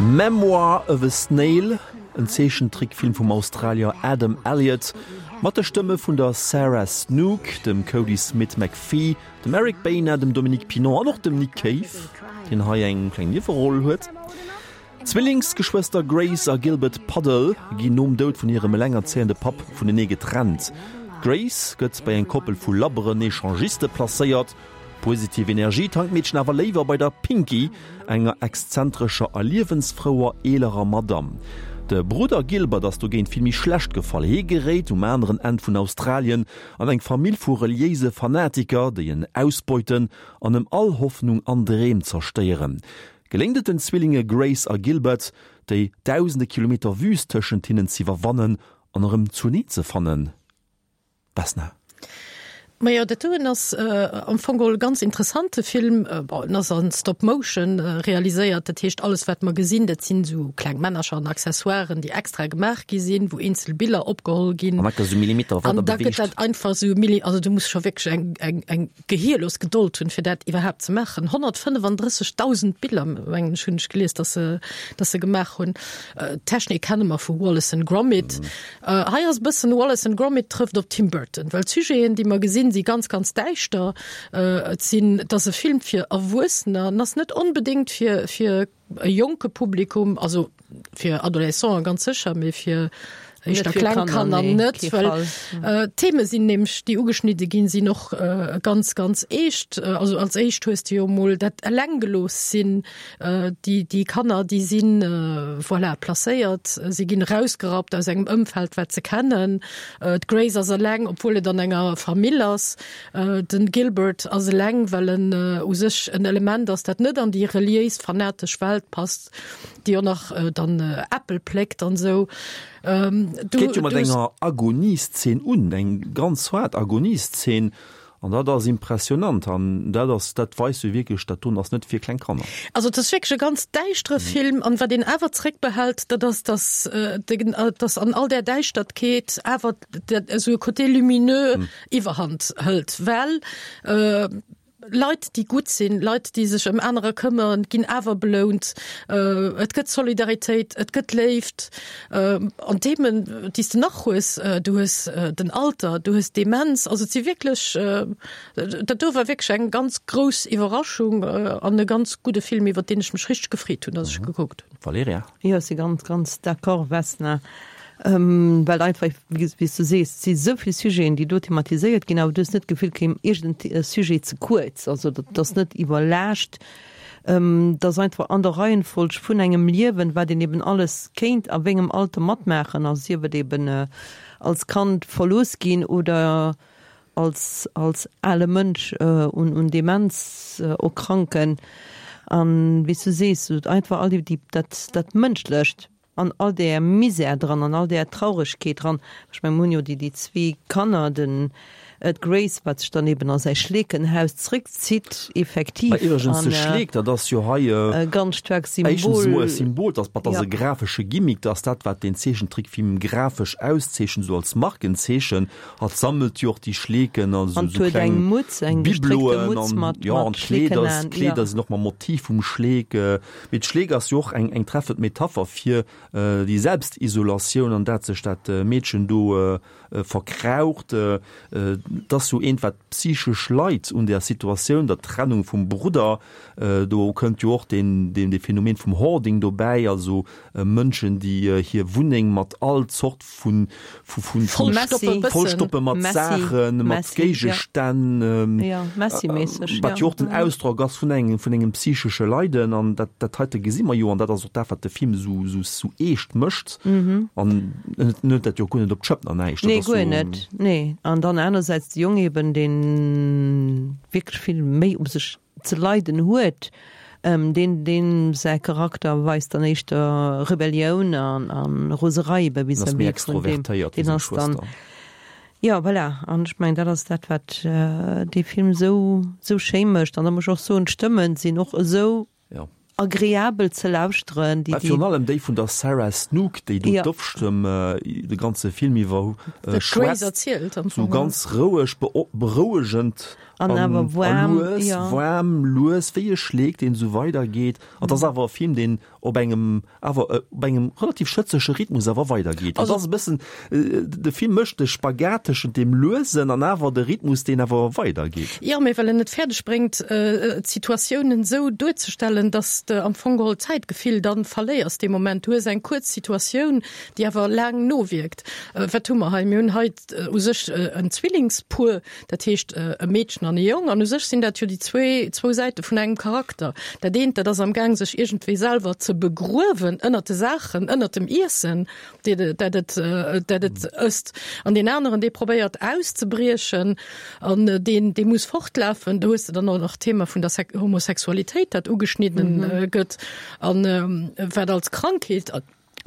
Memoir of a Snail, en Zeechentrickfilm vum Australier Adam Elliot. Mat de Stëmme vun der Sarah Snook, dem Kodi Smit-McPhee, dem Eric Bana, dem Dominique Pinon an och dem Nick Cave, deen hei eng kleng Nieweroll huet. D'Zwillingsgeschwëster Grace a Gilbert Puddle ginn nom Doud vun hirem elengerzéiende Papp vunenee getrennt. D'Grace gëtt bei eng Koppel vu labberen Echangiste placéiert. Positiv Energie tankt d'Meedchen awer léiwer bei der Pinky, enger exzentrescher a liewensfrouer eelerer Madamm. De Brudder Gilbert ass dogéint vill méi schlecht gefall. Hie geréit um aneren Enn vun Australien an eng Famill vu reliéise Fanatiker, déi en ausbeuten an em all Hoffnung an Dreem zerstéieren. Geléngt et den Zwillinge Grace a Gilbert, déi dausende Kilometer Wüüst tëschent hinnen z'iwwerwannen an erëm zuneen ze fannen? Vesna. Majo, dat doen ass am Fong geholl e ganz interessante Film. Bon, en ass an Stop Motion realiséiert, dat heescht alles wat mer gesinn, dat sinn esou kleng Männercher an Accessoiren, déi extra gemaach gi sinn, wou eenzel Biller opgeholl ginn. An dat gëtt esou Millimeter weider beweegt. An da gëtt dat einfach esou Milli-, also du muss scho wierklech eng, eng, eng gehierlos Gedold hunn, fir dat iwwerhaapt ze maachen. 135.000 Biller, mengen ech, hunn ech gelies, dass se, dass se gemaach hunn. D'Technik kenne mer vu Wallace and Gromit. Hei ass e bëssen Wallace and Gromit trëfft op Tim Burton, well d'Sujeten, déi mer gesinn, si ganz, ganz däischter. Et sinn, et ass e Film fir Erwuessener, en ass net onbedéngt fir, fir e jonke Publikum, also fir Adolescenten ganz sécher, mee fir éischter kleng Kanner net, well d'Theme sinn nämlech, déi ugeschnidde ginn, sinn och ganz, ganz eescht. Also als éischt hues de jo emol dat Elenggelooss-sinn, Déi, déi Kanner, déi si voilà, placéiert, si ginn erausgerappt aus engem Ëmfeld, wat se kennen. D'Grace ass eleng, obwuel et an enger Famill ass. Den Gilbert ass eleng, well en u sech en Element ass, dat net an déi reliéis fanatesch Welt passt, déi och nach dann Äppel pléckt an esou. Et geet jo mat enger Agonieszeen un, eng ganz haart Agonieszeen, An dat ass impressionant an dat ass, dat weist jo wierklech, dat doen ass net fir kleng Kanner. Also et ass wierklech e ganz däischtere Film an wat een awer zréckbehält, dat ass, dass dass an all där Däischtertkeet awer dat esou e Côté lumineux Iwwerhand hëlt, well Leit, déi gutt sinn, Leit, déi sech ëm anerer këmmeren, ginn awer belount. Et gëtt Solidaritéit, et gëtt Léift. An Themen, déi s de nach hues, du hues den Alter, du hues Demenz, also et si wierklech, dat do war wierklech eng ganz grouss Iwwerraschung an e ganz gudde Film, iwwer deen ech mech richteg gefreet hunn, datt ech e gekuckt hunn. Valerija? Jo, ech si ganz, ganz d'accord, Vesna, well einfach, wéi s du sees, et si esou vill Sujeten, déi do thematiséiert ginn, awer du hues net d'Gefill, et kéim iergend e Sujet ze kuerz, also dat ass net iwwerlaascht. Et ass einfach an der Reihenfolg vun engem Liewen, wat een eben alles kéint a wéngem Alter matmaachen, also sief et eben als Kand verlooss ginn oder als als ale Mënsch un un Demenz erkranken. An wéi s du sees, einfach all déi dat dat Mënschlecht. An all där Misär dran, an all där Trauregkeet dran. Ech mengen, mir hunn jo déi, déi zwee Kanner, den, d'Grace, wat sech dann eben a säi Schleekenhaus zréckzitt, effektiv. Mä iwwregens, de Schleek, dat ass jo hei e ganz staarkt Symbol. Éischtens emol e Symbol, dat ass e grafesche Gimmick, dat ass dat, wat deen Zeechentrickfilm grafesch auszeechent, esou als Markenzeechen. Hatt sammelt jo och déi Schleeken, also esou kleng Bibloen an, jo, an d'Kleeder, d'Kleeder sinn och mam Motiv vum Schleek. Mee d'Schleek ass jo och eng eng treffend Metapher fir déi Selbstisolatioun, an dat sech dat Meedchen do verkraucht. Et ass jo eent, wat psychesch leit un där Situatioun, der Trennung vum Brudder. Do kënnt jo och deen deen dee Phänomen vum Hoarding dobäi, also Mënschen, déi hir Wunneng mat all Zort vu vu vu vollstoppe mat Saachen, mat Géigestänn, wat jo och den Ausdrock ass vun engem vun engem psychesche Leiden. An dat dat heite gesi mer jo, an dat ass och dat, wat de Film esou esou esou eescht mécht. An en huet dat jo guer net op d'Schëpp an näischt. Nee, guer net, nee. An dann anersäits de Jong eben, dee wierklech vill méi u sech ze leiden huet, deen deem säi Charakter weist dann éischter Rebellioun an a Roserei ebe vis-à-vis vun deem, deen ass dann, jo voilà, an ech mengen dat ass dat wat dee Film esou esou schéi mécht. An da muss ech och soen, d'Stëmmen sinn och esou agreabel ze lauschteren, déi déi. Virun allem déi vun der Sarah Snook, déi do d'Offstëmm de ganze Film iwwer schwätzt, esou ganz roueg, berouegend. An awer waarm, lues, ja. Waarm, lues, wéi e Schleek, deen esou weidergeet. An et ass awer e Film, deen op engem awer op engem relativ schëtzege Rhythmus awer weidergeet. Also ass e bëssen, de Film mécht de Spagat tëschent deem Luesen an awer de Rhythmus, deen awer weidergeet. Jo, mee well en et fäerdeg bréngt, d'Situatiounen esou duerzestellen, dass s de am Fong geholl d'Zäitgefill dann verléiers dee Moment. Du hues eng kuerz Situatioun, déi awer laang nowierkt. Wat hu mer hei? Mir hunn hei u sech en Zwillingspuer, Dat heescht e Meedchen an e Jong. An u sech sinn dat jo déi zwee, zwou Säite vun engem Charakter. Dat eent, dat ass am Gaang sech iergendwéi selwer ze begruewen ënnert de Saachen, ënnert dem Iessen, déi, dat et, dat et ësst. An deen aneren, dee probéiert auszebriechen an deen, dee muss fortlafen. Do hues de dann och nach d'Thema vun der Homosexualitéit, dat ugeschnidden gëtt an wat als Krankheet,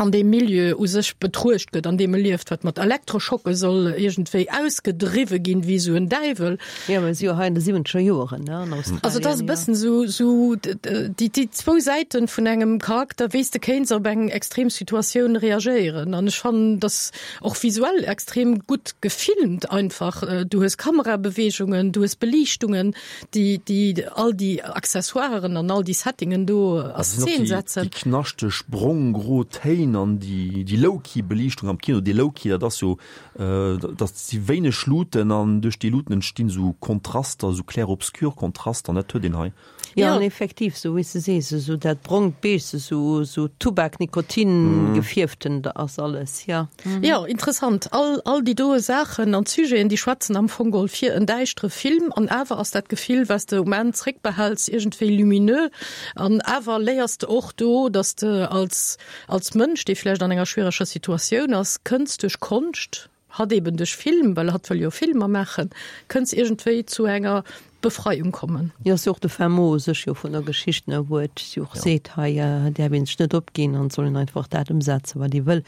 an deem Milieu u sech betruecht gëtt, an deem e lieft, wat mat Elektroschocke soll iergendwéi ausgedriwwe ginn, wéi esou en Däiwel. Jo, mä si jo hei an de siwwenzeger Joeren, ne, an Australien. Also et ass e bëssen esou, esou déi, déi zwou Säiten vun engem Charakter, wéi s de kéints op eng extrem Situatioun reagéieren. An ech fannen, dass och visuell extrem gutt gefilmt einfach. Du hues Kamerabeweegungen, du hues Beliichtungen, déi, déi all déi Accessoiren an all déi Settingen do a Szen setzen. Déi knaschteg brong-gro Téin an déi, déi low-key Beliichtung am Kino, déi low-key, dat ass jo, dat si wéineg Luuten an duerch déi Luuten entstinn esou Kontraster, esou clair-obscur Kontraster an dat huet een hei. Jo, an effektiv, esou wéi s de sees, esou dat brongt Beige, esou, esou Tubak, Nikotin gefierften, da ass alles, jo. Jo, interessant. All, all déi doe Saachen an d'Sujeten, déi schwätzen am Fong geholl fir en däischtere Film. An awer ass dat Gefill, wat s de um Enn zréckbehäls, iergendwéi lumineux. An awer léiers de och do, dass de als, als Mënsch, dee vläicht an enger schwiereger Situatioun ass, kënns duerch Konscht, Hatt eben duerch Film, well hatt wëll jo Filmer maachen, kënns iergendwéi zu enger Befreiung kommen. Jo, ass jo och de fin mot u sech jo vun der Geschicht, ne, wou et jo och seet, hei däerf een sech net opginn an et soll een einfach dat ëmsetzen, wat ee wëll.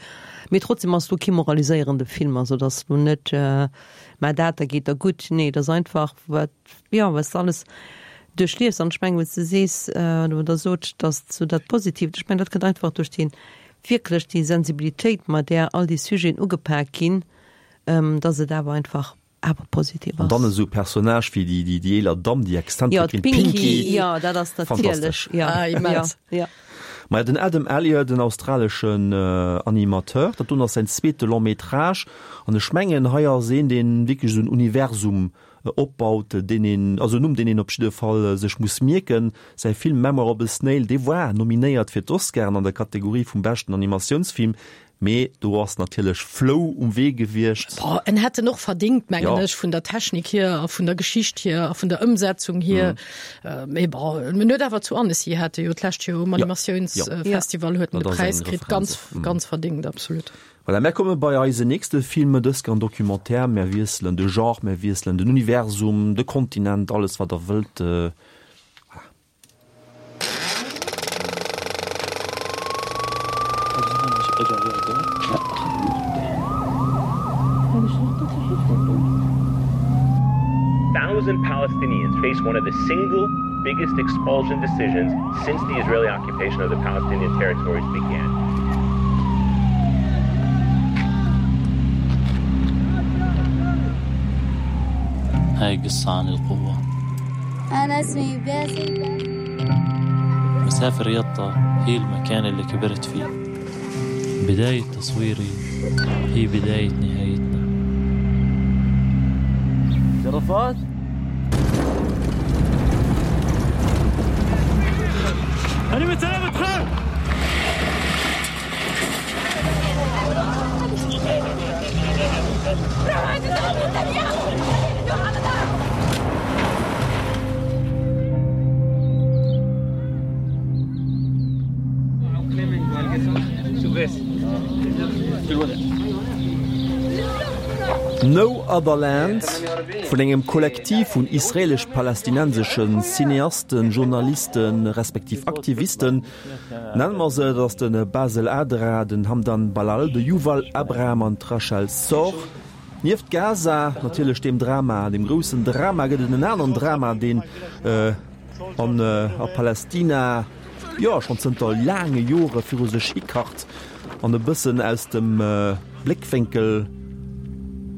Mee trotzdem ass lo kee moraliséierende Film, also et ass lo net, maach dat, da geet der gutt. Nee, et ass einfach wat, jo, wat s de alles duerchliefs. An ech mengen, wou s de sees, oder wou Der sot, datt sou dat Positiivt, ech mengen, dat kënnt einfach duerch dee wierklech déi Sensibilitéit, mat där all déi Sujeten ugepak ginn, dass et awer einfach awer positiv ass. An dann esou Personnage wéi déi déi eeler Damm, déi Exzentrikerin Pinky. Jo, dat ass natierlech, jo, jo, jo. Maja, den Adam Elliot, en australeschen Animateur, dat doen ass säin zweete Long métrage an ech mengen hei ass een, deen wierklech esou en Universum opbaut, deen een, also en Numm, deen een op jidde Fall sech muss mierken. Säi Film Memoir of a Snail, dee war nominéiert fir d'Oscaren an der Kategorie vum beschten Animatiounsfilm, mee do ass natierlech Flou um Wee gewiescht. Boah, en hätt en och verdingt, mengen ech, vun der Technik hier a vun der Geschicht hier a vun der Ëmsetzung hier. Mee bon, en huet awer zu Annecy hat e jo d'lescht Joer um Animatiounsfestival huet en de Präis kritt, ganz, ganz verdingt, absolut. Voilà, mär komme bei eisen nächste Film, dës Kéier en Documentaire. Mär wiesselen de Genre, mär wiesselen den Universum, de Kontinent, alles wat der wëllt. Voilà. Thousand Palestinians face one of the single biggest expulsion decisions since the Israeli occupation of the Palestinian territories began. هاي قصة عن القوة أنا اسمي باسل مسافر يطا هي المكان اللي كبرت فيه بداية تصويري هي بداية نهايتنا جرفات أنا متسلامة خير No Other Land, vun engem Kollektiv vun israelesch-palästinensesche Cineasten, Journalisten, respektiv Aktivisten, nenne mer se. Dat ass de Basel Adra, den Hamdan Ballal, de Yuval Abraham an d'Rachel Szor. Nieft Gaza, natierlech deem Drama, deem groussen Drama, gëtt et en aneren Drama, deen an a Palästina, jo, schonn zënter laange Jore viru sech hikacht an e bëssen aus dem Bléckwénkel.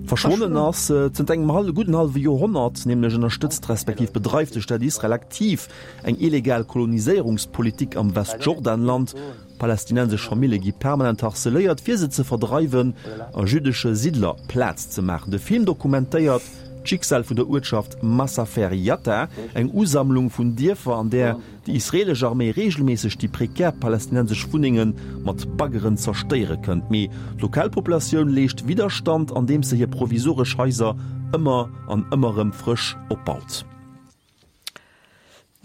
Verschwonnen ass. Zënter engem hal gudden hallwe Joerhonnert nämlech ënnerstëtzt respektiv bedreift de Staat Israel aktiv eng illegal Koloniséierungspolitik am Westjordanland. Palästinensesch Famille gi permanent harceléiert, fir se ze verdreiwen a jüddesche Siddler Plaz ze maachen. De Film dokumentéiert d'Schicksal vun der Uertschaft Masafer Yatta, eng Usammlung vun Dierfer, an där déi israeelesch Arméi reegelméisseg déi prekär palästinensesch Wunnenge mat Baggeren zerstéiere kënnt. Mee d'Lokalpopulatioun leescht Widderstand, andeems se hir provisoresch Haiser ëmmer an ëmmer erëm frësch opbaut.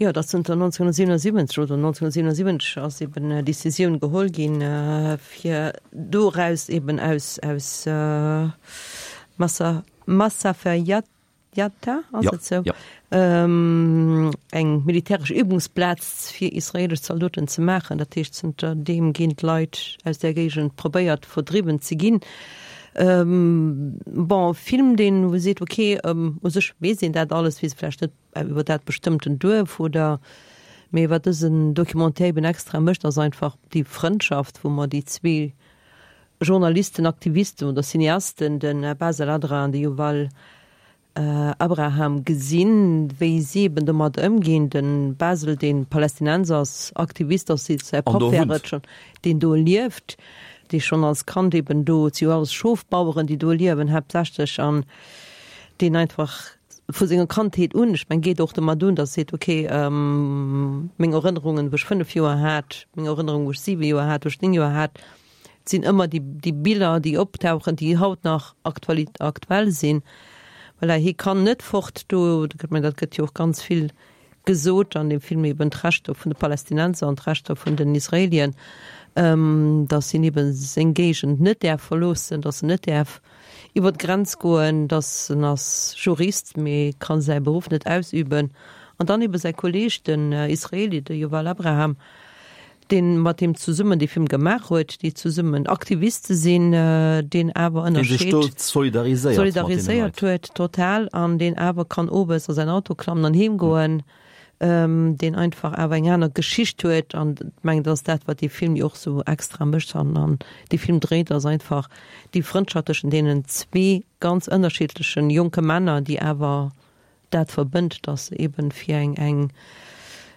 Jo, dat zënter 1977 oder 1977 ass eben Décisioun geholl ginn, fir doraus eben aus aus Massa Masafer Yatta, ass et esou, eng militäresch Übungsplaz fir israelesch Zaldoten ze maachen. Dat heescht, zënter deem ginn d'Leit aus där Géigend probéiert verdriwwen ze ginn. Bon, e Film, deen wou seet, okay, u sech weess een dat alles, weess vläicht net iwwer dat bestëmmten Duerf oder, mee wat dësen Documentaire eben extra mécht, ass einfach déi Frëndschaft, wou mer déi zwee Journalisten, Aktivisten oder Cineasten, de Basel Adra an de Yuval Abraham gesinn, wéi si eben domat ëmginn. De Basel, dee Palästinenser ass, Aktivist ass, säi Papp wär et schonn, deen do lieft, dee schonn als Kand eben do, et si jo alles Schofbaueren, déi do liewen haaptsächlech, an deen einfach vu senger Kandheet un, ech meng geet och domat un, datt e seet, ok, meng Erënnerungen, wou ech 5 Joer hat, meng Erënnerung, wou ech 7 Joer hat, wou ech 9 Joer hat, et sinn ëmmer déi, déi Biller, déi optauchen, déi haut nach aktuali aktuell sinn. Voilà, hie kann net fort do, ech meng dat gëtt jo och ganz vill gesot an dem Film, eben d'Rechter vun de Palästinenser an d'Rechter vun den Israelien, datt hien eben seng Géigend net däerf verloossen, datt en net däerf iwwer d'Grenz goen, datt en ass Jurist, mee ka säi Beruff net ausüben. An dann ebe säi Kolleeg, den Israeli, de Yuval Abraham, deen mat him zesummen dee Film gemaach huet, déi zesummen Aktiviste sinn, deen awer ënnerscheet, solidariséiert huet total an deen awer kann owes a säin Auto klammen an heem goen. deen einfach awer eng aner Geschicht huet an mengen dat ass dat wat dee Film jo och sou extra mécht an an dee Film dréit ass einfach déi Frëndschaft tëschent deenen zwee ganz ënnerschiddlechen jonke Männer déi awer dat verbënnt, datt se eben fir eng eng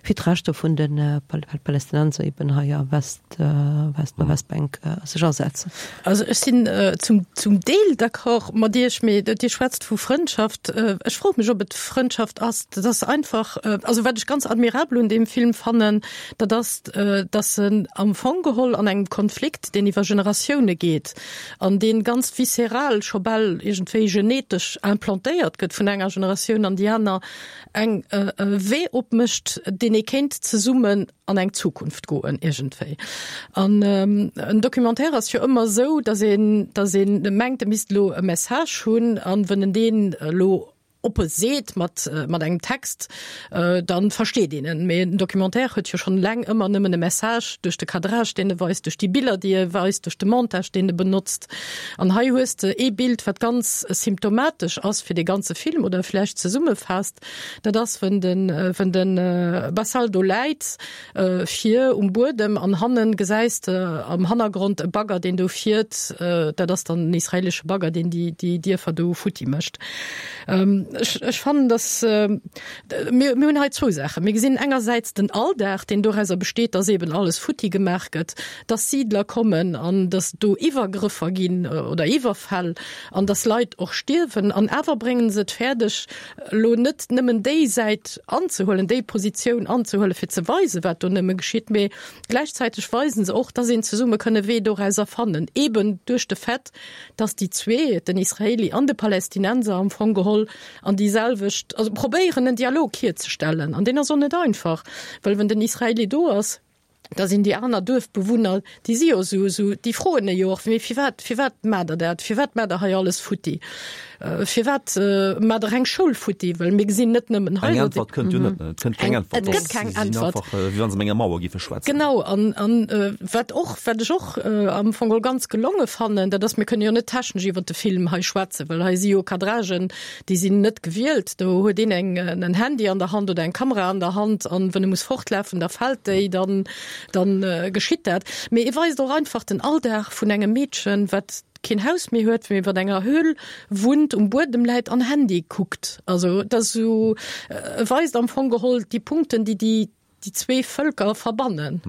fir d'Rechter vun de Palästinenser eben hei a West West Westbänk sech asetzen. Also ech sinn zum zum Deel d'accord mat Iech, mee Dir schwätzt vu Frëndschaft. Ech froe mech, ob et Frëndschaft ass. Dat ass einfach, also wat ech ganz admirabel un deem Film fannen, dat ass, datt en am Fong geholl an engem Konflikt, deen iwwer Generatioune geet an dee ganz visceral, scho bal iergendwéi genetesch implantéiert gëtt vun enger Generatioun an déi aner, eng e Wee opmécht, deen ee kéint zesummen an eng Zukunft goen iergendwéi. An en Documentaire ass jo ëmmer esou, datt een, datt een mengt, e misst elo e Message hunn an wënn en deen elo oppe seet mat, mat engem Text, dann versteet een en. Mee en Documentaire huet jo schonn eleng ëmmer nëmmen e Message duerch de Cadrage, deen e weist, duerch déi Biller, déi e weist, duerch de Montage, deen e benotzt. An hei hues de ee Bild, wat ganz symptomatesch ass fir dee ganze Film oder vläicht zesummefaasst, Dat ass, wën den, wën den Bassal do läit vir um Buedem an hannen gesäis de am Hannergrond e Bagger, deen do fiert. Dat ass dann den israelesche Bagger, deen déi, déi Dierfer do futti mécht. Ech, ech fannen, dass mir, mir hunn hei zwou Saachen. Mir gesinn engersäits den Alldag, deen dorauser besteet, dass eben alles futti gemaach gëtt, dass Siidler kommen an dass do Iwwergrëffer ginn oder Iwwerfäll an dass Leit och stierwen. An awer bréngen se et fäerdeg, elo net nëmmen déi Säit anzehuelen, déi Positioun anzehuelen, fir ze weisen, wat do nëmme geschitt, mee gläichzäiteg weisen se och, dass een zesumme kënn e Wee dorauser fannen, eeben duerch de Fait, dass déi zwee, den Israeli an de Palästinenser am Fong geholl, an déi selwecht, also probéieren en Dialog hierzestellen. An deen ass och net einfach, well wenn den Israeli do ass, da sinn déi aner Duerfbewunner, déi si jo esou, esou, déi froen e jo och, mee firwat, firwat maacht Der dat, firwat maacht Der hei alles futti, firwat maacht Der eng Schoul futti, well mir gesinn net nëmmen hei. Eng Äntwert kënnt jo net, et kënnt keng Äntwert. Et gëtt keng Äntwert. Si sinn einfach, wéi wa se mat enger Mauer géife schwätzen. Genau, an, an wat och, wat ech och am Fong geholl ganz gelonge fannen, dat ass, mir kënne jo net technesch iwwert de Film hei schwätzen, well hei si jo Cadragen, Déi sinn net gewielt. Do huet een eng en Handy an der Hand oder eng Kamera an der Hand an wann e muss fortlafen, da fält déi, dann dann geschitt dat. Mee e weist och einfach den Alldag vun engem Meedchen, wat. keen Haus méi huet, mee iwwer enger Höhl wunnt, um Buedem läit an Handy kuckt. Also et ass esou, e weist am Fong geholl déi Punkten, déi déi déi zwee Vëlker verbannen.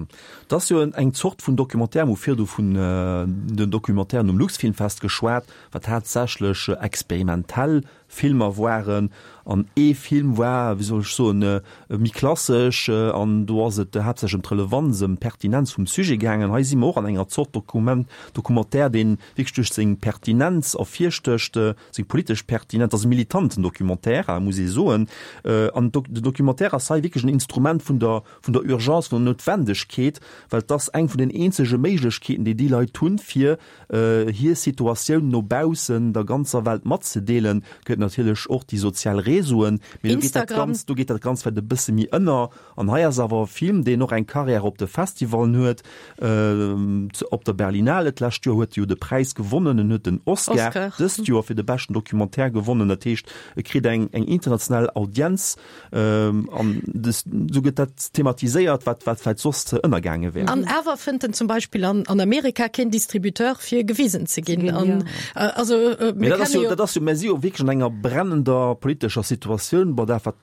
Et ass jo eng Zort vun Documentaire, mir hu virdu vun den Documentairen um Luxfilmfest geschwat, wat haaptsächlech experimentell Filmer waren. An ee Film war, wéi soll ech soen, méi klassesch an do ass et haaptsächlech ëm d'Relevanz, ëm d'Pertinenz vum Sujet gaangen. Hei si mer och an enger Zort Dokument, Documentaire, dee wierklech duerch seng Pertinenz ervirstécht, seng politesch Pertinenz. Et ass e militanten Documentaire, muss ee soen. An den Documentaire ass hei wierklech en Instrument vun der, vun der Urgence, vun der Noutwendegkeet, well et ass eng vun den eenzege Méiglechkeeten, déi déi Leit hunn, fir hir Situatioun no baussen der ganzer Welt matzedeelen, gëtt natierlech och déi sozial Réseauen, mee do geet dat Ganzt, do geet dat Ganzt vläicht e bësse méi ënner. An hei ass awer e Film, deen och eng Carrière op de Festivalen huet, op der Berlinale d'lescht Joer huet e jo de Präis gewonnen, en huet den Oscar dëst Joer fir de beschten Documentaire gewonnen, dat heescht e kritt eng international Audienz. An esou gëtt dat thematiséiert, wat wat vläicht soss ënnergaange wär. An awer fënnt en zum Beispill an an Amerika keen Distributeur fir gewisen ze ginn. An also mir dat ass jo, dat ass jo, mir si jo wierklech an enger brennender politescher Situatioun, bei dat wat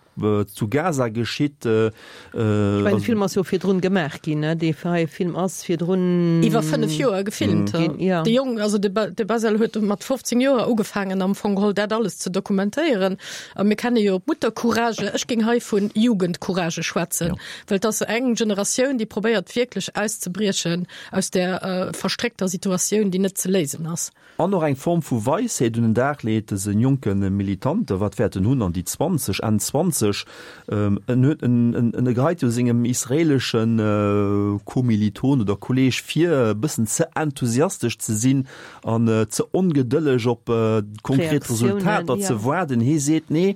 zu Gaza geschitt. Ech mengen, de Film ass jo virdrun gemaach ginn, ne? Dee hei Film ass virdrun. Iwwer 5 Joer gefilmt. Ginn, jo. De Jong, also de de Basel huet mat 15 Joer ugefaangen am Fong geholl dat alles ze dokumentéieren. A mir kenne jo d'Muttercourage, ech géing hei vun Jugendcourage schwätzen, well et ass eng Generatioun, déi probéiert wierklech auszebriechen aus där verstréckter Situatioun, déi net ze léisen ass. An och eng Form vu Weisheet un den Dag leet, dëse jonke Militant, wat wäert en hunn, an déi 20, Enn 20, en huet, en geheit jo sengem israelesche Kommiliton oder Kolleeg vir, e bëssen ze enthusiastesch ze sinn, an ze ongedëlleg op konkret Resultater ze waarden. Hee seet, Nee,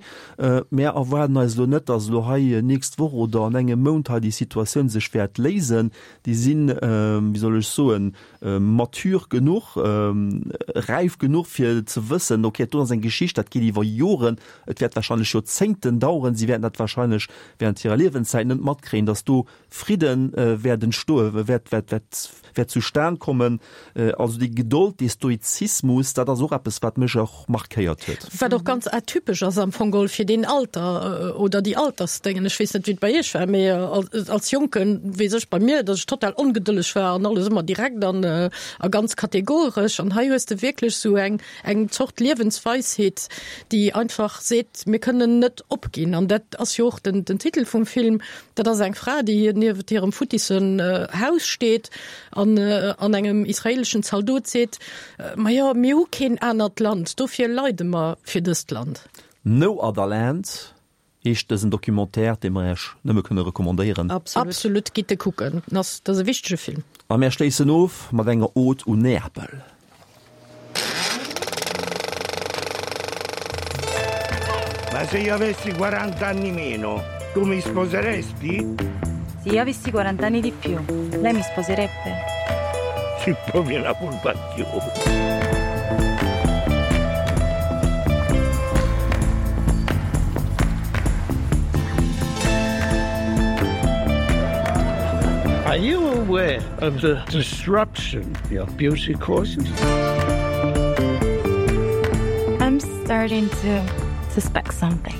mär erwaarden eis elo net, datt elo hei nächst Woch oder an engem Mount hei déi Situatioun sech wäert léisen. Déi sinn, wéi soll ech soen, mature genuch, räif genuch fir ze wëssen, okay, do ass eng Geschicht, dat geet iwwer Joren, et wäert wahrscheinlech Joerzéngten daueren, si wäerten dat wahrscheinlech während hirer Liewenszäit net matkréien, datt do Fridden wäert entstoen, wäert, wäert, wäert, wäert zustan kommen. Also déi Gedold, dee Stoizismus, dat ass och eppes, wat mech och markéiert huet. Wat och ganz atypesch ass am Fong geholl fir deen Alter oder déi Altersdéngen. Ech weess net, wéi et bei Iech war, mee als Jonke weess ech bei mir, datt ech total ongedëlleg war an alles ëmmer direkt an a ganz kategoresch. An hei hues de wierklech esou eng, eng Zort Liewensweisheet, déi einfach seet, mir kënnen net opginn. An dat ass jo och den, den Titel vum Film. Dat ass eng Fra, déi niewent hirem futtissen Haus steet an an engem israeleschen Zaldot seet, Majo, mir hu keen anert Land, dofir leide mer fir dëst Land. No Other Land heescht dësen Documentaire, dee mer Iech nëmme kënne recommandéieren. Absolut, gitt e kucken, dat ass e wichtege Film. A mär schléissen of mat enger Ode u Neapel. Ma se io avessi 40 anni meno, tu mi sposeresti? Se io avessi 40 anni di più, lei mi sposerebbe? Si proprio una furbacchiona. Are you aware of the disruption your beauty causes? I'm starting to suspect something.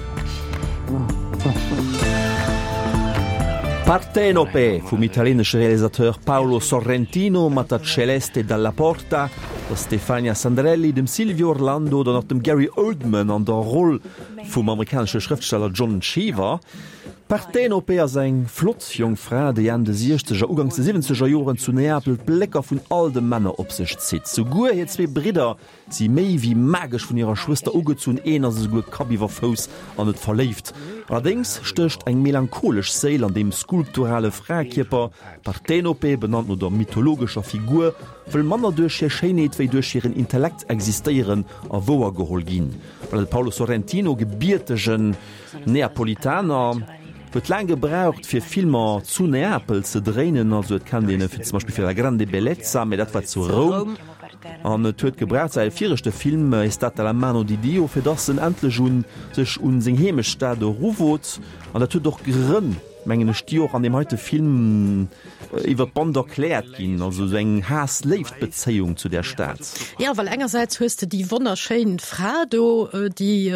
Partenope vum italienesche Realisateur Paolo Sorrentino mat der Celeste Dalla Porta, der Stefania Sandrelli, dem Silvio Orlando oder nach dem Gary Oldman an der Roll vum amerikanesche Schrëftsteller John Cheever. D'Partenope ass eng flott jonk Fra, déi Enn de siechzeger, uganks de siwwenzeger Joren zu Neapel d'Blécker vun all de Männer op sech zitt. Souguer hir zwee Bridder si méi wéi magesch vun hirer Schwëster ugezunn, een ass esouguer Kapp iwwer Fouss an et verléift. Allerdéngs stécht eng melancholesch Séil an deem skulpturale Fraekierper. D'Partenope, benannt no der mythologescher Figur, wëll manner duerch hir Schéinheet wéi duerch hiren Intellekt existéieren a wouergeholl ginn. Well de Paolo Sorrentino, gebiertegen Neapolitaner, huet laang gebraucht fir Filmer zu Neapel ze dréinen, also et kennt een e fir zum Beispill fir La grande bellezza, mee dat war zu Roum, an et huet gebraucht säi viregte Film È stata la mano di Dio, fir dass en endlech un sech un seng Heemechtsstad eruwot, an dat huet och Grënn. mengen ech, déi och an deem heite Film iwwer d'Band erkläert ginn, also esou eng Haass-Léift-Bezéiung zu där Stad. Jo, well engersäits hues de déi wonnerschéin Fra do, déi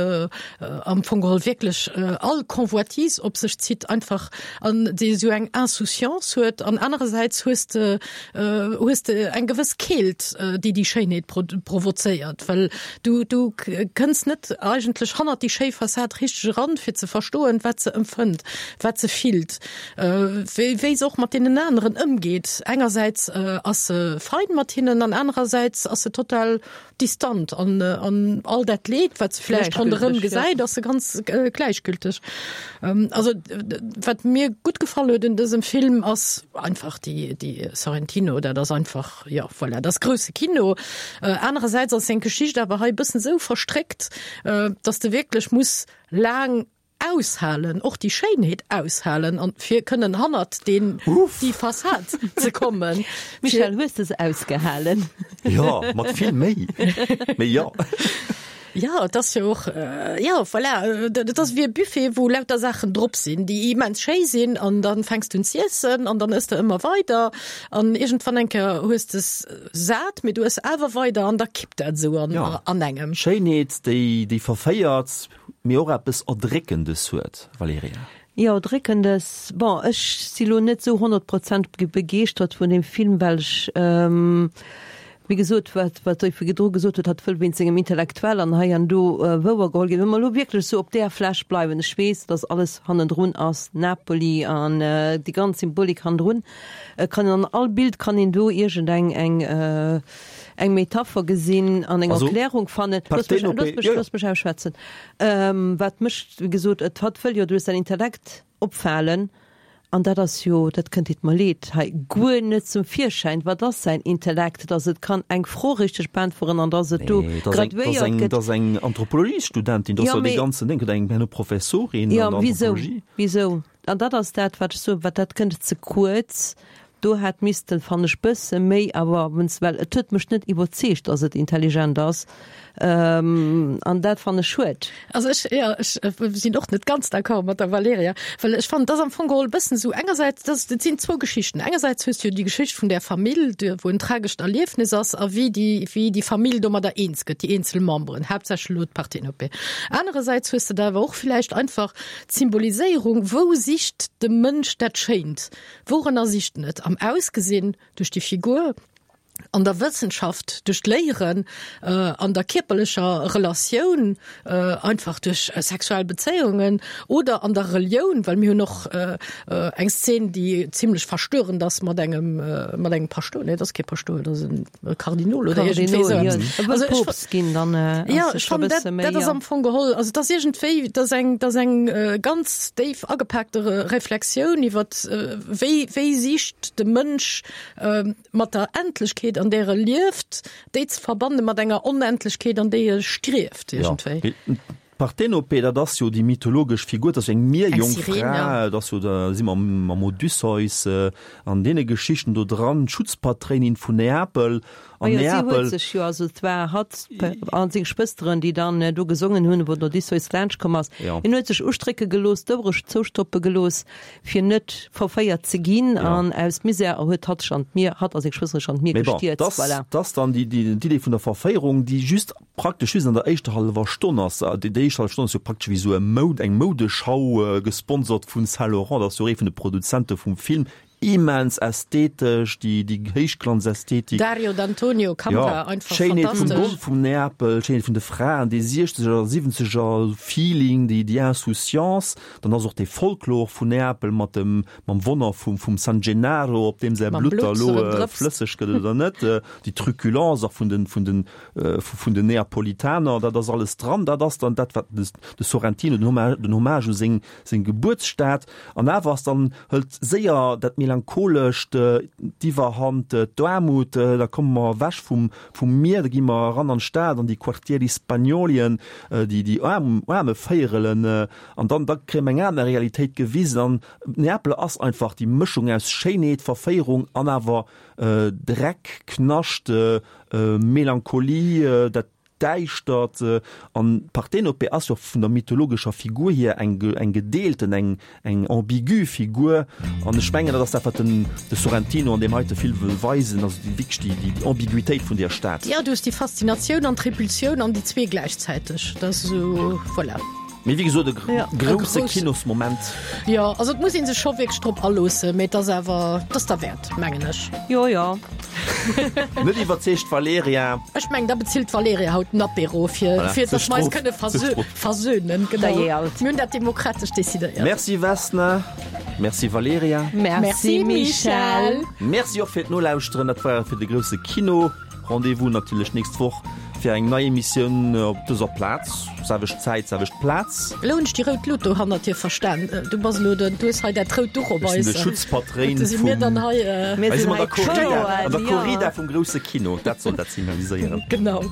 am Fong geholl wierklech all Convoitise op sech zitt einfach an déi esou eng Insouciance huet, an anerersäits hues de hues de eng gewëss Keelt, déi déi Schéinheet provozéiert, well du du kënns net eigentlech hannert déi schéi Fassad richteg eran, fir ze verstoen, wat se empfënnt, wat se fillt, wéi wéi se och mat deenen aneren ëmgeet. Engersäits ass se fein mat hinnen an anerersäits ass se total distant an an all dat Leed, wat se vläicht ronderëm gesäit, ass se ganz gläichgülteg. Also wat mir gutt gefall huet un dësem Film ass einfach déi déi Sorrentino, dat ass einfach, jo voilà, dat ass grousse Kino. Anerersäits ass seng Geschicht awer hei e bëssen esou verstréckt, datt s de wierklech muss laang Aushalen, och déi Schéinheet aushalen an fir kënnen hannert deen, déi Fassad ze kommen. Michèle, hues de se ausgehalen? Jo, mat vill Méi, mee jo. Jo, et ass jo och, jo, voilà, et ass wéi e Buffet, wou lauter Saachen drop sinn, déi immens schéi sinn an dann fänks du un z'iessen an dann ëss de ëmmer weider an iergendwann eng Kéier hues de s sat, mee du ëss awer weider an da kippt dat esou an, an engem. Schéinheet, déi, déi verféiert, Mee och eppes Erdréckendes huet, Valerija. Jo, Erdréckendes. Bon, ech si lo net sou 100 Prozent begeeschtert vun deem Film, well ech, wéi gesot, wat wat Der virdru gesot hutt, hatt wëll wéinst sengem Intellektuell an hei an do wouer geholl ginn. Wa mer elo wierklech sou op där Fläch bleiwen, ech weess, dass alles hannendrun ass, Napoli an déi ganz Symbolik hannendrun, kann een an all Bild kann een do iergendeng eng, eng Metapher gesinn an eng Erklärung fannen. Looss mech, looss mech, looss mech ausschwätzen. Wat mech, wéi gesot, et hatt wëll jo duerch säin Intellekt opfalen, an dat ass jo, dat kënnt, deet mer leed, hei guer net zum Virschäin. Wat ass säin Intellekt? Datt et kann eng Fro richteg beäntweren an datt et do graduéiert gëtt. Dat ass eng Anthropologiesstudentin, dat ass jo dee ganzen Ding, oder eng herno Professorin an der Anthropologie. Jo, mee wisou? Wisou? An dat ass dat, wat ech soen, wat dat kënnt ze kuerz. Do hätt missten, fannen ech, bësse méi, awer wenn's, well et huet mech net iwwerzeegt, dass et intelligent ass, an dat fannen ech schued. Also ech, jo, ech sinn och net ganz d'accord mat der Valerija, well ech fannen, et ass am Fong geholl e bëssen esou, engersäits, dat et sinn zwou Geschichten. Engersäits hues du jo déi Geschicht vun där Famill, wou en tragescht Erliefnis ass a wéi déi, wéi déi Famill domadder eens gëtt, déi eenzel Memberen, haaptsächlech elo d'Parthénopée. Anerersäits hues de da awer och villäicht einfach d'Symboliséierung, wou sicht de Mënsch dat Schéint? Wourënner sicht en et? Am Ausgesinn, duerch déi Figur, an der Wëssenschaft, duerch d'Léieren, an der kierperlecher Relatioun, einfach duerch sexuell Bezéiungen, oder an der Relioun, well mir hunn och eng Szen, déi zimlech verstörend ass mat engem, mat engem Paschtouer, nee, et ass kee Paschtouer, et ass en Kardinol oder iergendwéi esou eppes. E wëll Poopst ginn, dann ass et scho e bësse méi. Jo, ech fannen, dat ass am Fong geholl, also et ass iergendwéi, et ass eng, et ass eng ganz déif agepaakte Reflexioun iwwer wéi, wéi sicht de Mënsch mat der Endlechkeet, an där e lieft, déi ze verbanne mat enger Onendlechkeet, an déi e strieft iergendwéi. D'Parthenope, dat ass jo déi mythologesch Figur, dat ass jo eng Mierjongfra, dat ass jo, da si mer mam Odysseus an deene Geschichten do dran, d'Schutzpatréinin vun Neapel. An Neapel. Majo, si huet sech jo, also et war hatt a seng Schwësteren, déi dann do gesongen hunn, wou den Odysseus laanscht komm ass. Hien huet sech ustrécke gelooss, d'Ouere zoustoppe gelooss, fir net verféiert ze ginn, an aus Misär huet hatt sech an d'Mier, hatt a seng Schwëstere sech an d'Mier gestierzt. Voilà. Mee bon, dat ass dann déi Idee vun der Verféierung, déi just Praktesch just an der éischter hallwer Stonn ass, déi éischt hallef Stonn ass jo praktesch wéi esou e Moud, eng Moudeschau, gesponsert vun Saint Laurent, dat ass jo ee vun de Produzente vum Film, immens ästhetesch, déi, déi Héichglanzästhetik. Dario D'Antonio, Kamera, einfach fantastesch. D'Schéinheet vum Golf vum Neapel, d'Schéinheet vun de Fraen, dee siechzeger a siwwenzeger Feeling, déi, déi Insouciance, dann ass och dee Folklor vun Neapel mat dem, mam Wonner vum, vum San Gennaro, op deem säi Blutt da lo flësseg gëtt oder net, déi Truculence och vun den, vun den, vun den Neapolitaner, dat ass alles dran, dat ass dann dat wat de Sorrentino, den Hommage, den Hommage u seng, seng Gebuertsstad, an awer ass dann, hëlt séier dat Melancholescht d'Iwwerhand, d'Aarmut, da komme mer ewech vum, vum Mier, da gi mer eran an d'Stad, an déi Quartieri Spagnolien, déi, déi aarm, aarme Véierelen, an dann, da kréie mer eng aner Realitéit gewisen an Neapel ass einfach déi Mëschung aus Schéinheet, Verféierung an awer Dreck, Knascht, Melancholie, dat. Däischtert. An Partenope ass jo vun der mythologescher Figur hier eng eng gedeelten, eng eng ambigu Figur. An ech mengen, dat ass dat, wat den de Sorrentino an deem heite Film wëll weisen, also déi wierklech déi déi Ambiguitéit vun där Stad. Jo, du hues déi Faszinatioun an d'Repulsioun an déi zwee gläichzäiteg. Dat ass esou, voilà. Mee wéi gesot, e grousse Kinosmoment. Jo, also et muss ee sech scho wierklech drop aloossen, mee et ass awer, et ass derwäert, mengen ech. Jo, jo. Net iwwerzeegt d'Valerija. Ech mengen, da bezilt d'Valerija haut den Apéro, fir, fir datt mer eis kënne versönen. Genau. Mir hunn dat demokratesch decidéiert. Merci Vesna, merci Valerija. Merci Michèle. Merci och fir d'Nolauschteren. Dat war et fir de grousse Kino. Rendez-vous natierlech nächst Woch fir eng nei Emissioun op dëser Plaz, selwecht Zäit, selwecht Plaz. Elo hunn ech déi rout Lut do hannert dir verstan. Du bass elo den, du hues hei dat rout Duch op Ech eis. sinn de Schutzpatréin Do si mir vum, dann hei. Mir hei si sinn mer an hei der Corrida, d'Showen, an der jo. Corrida vum grousse Kino. Dat soll dat signaliséieren. Genau.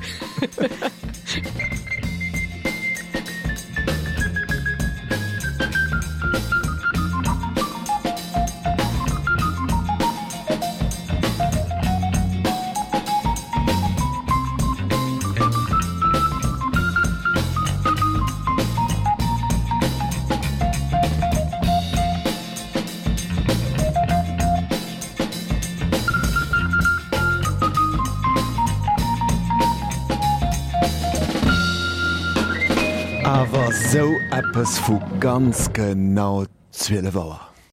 Awer sou eppes vu ganz genau 12 Auer.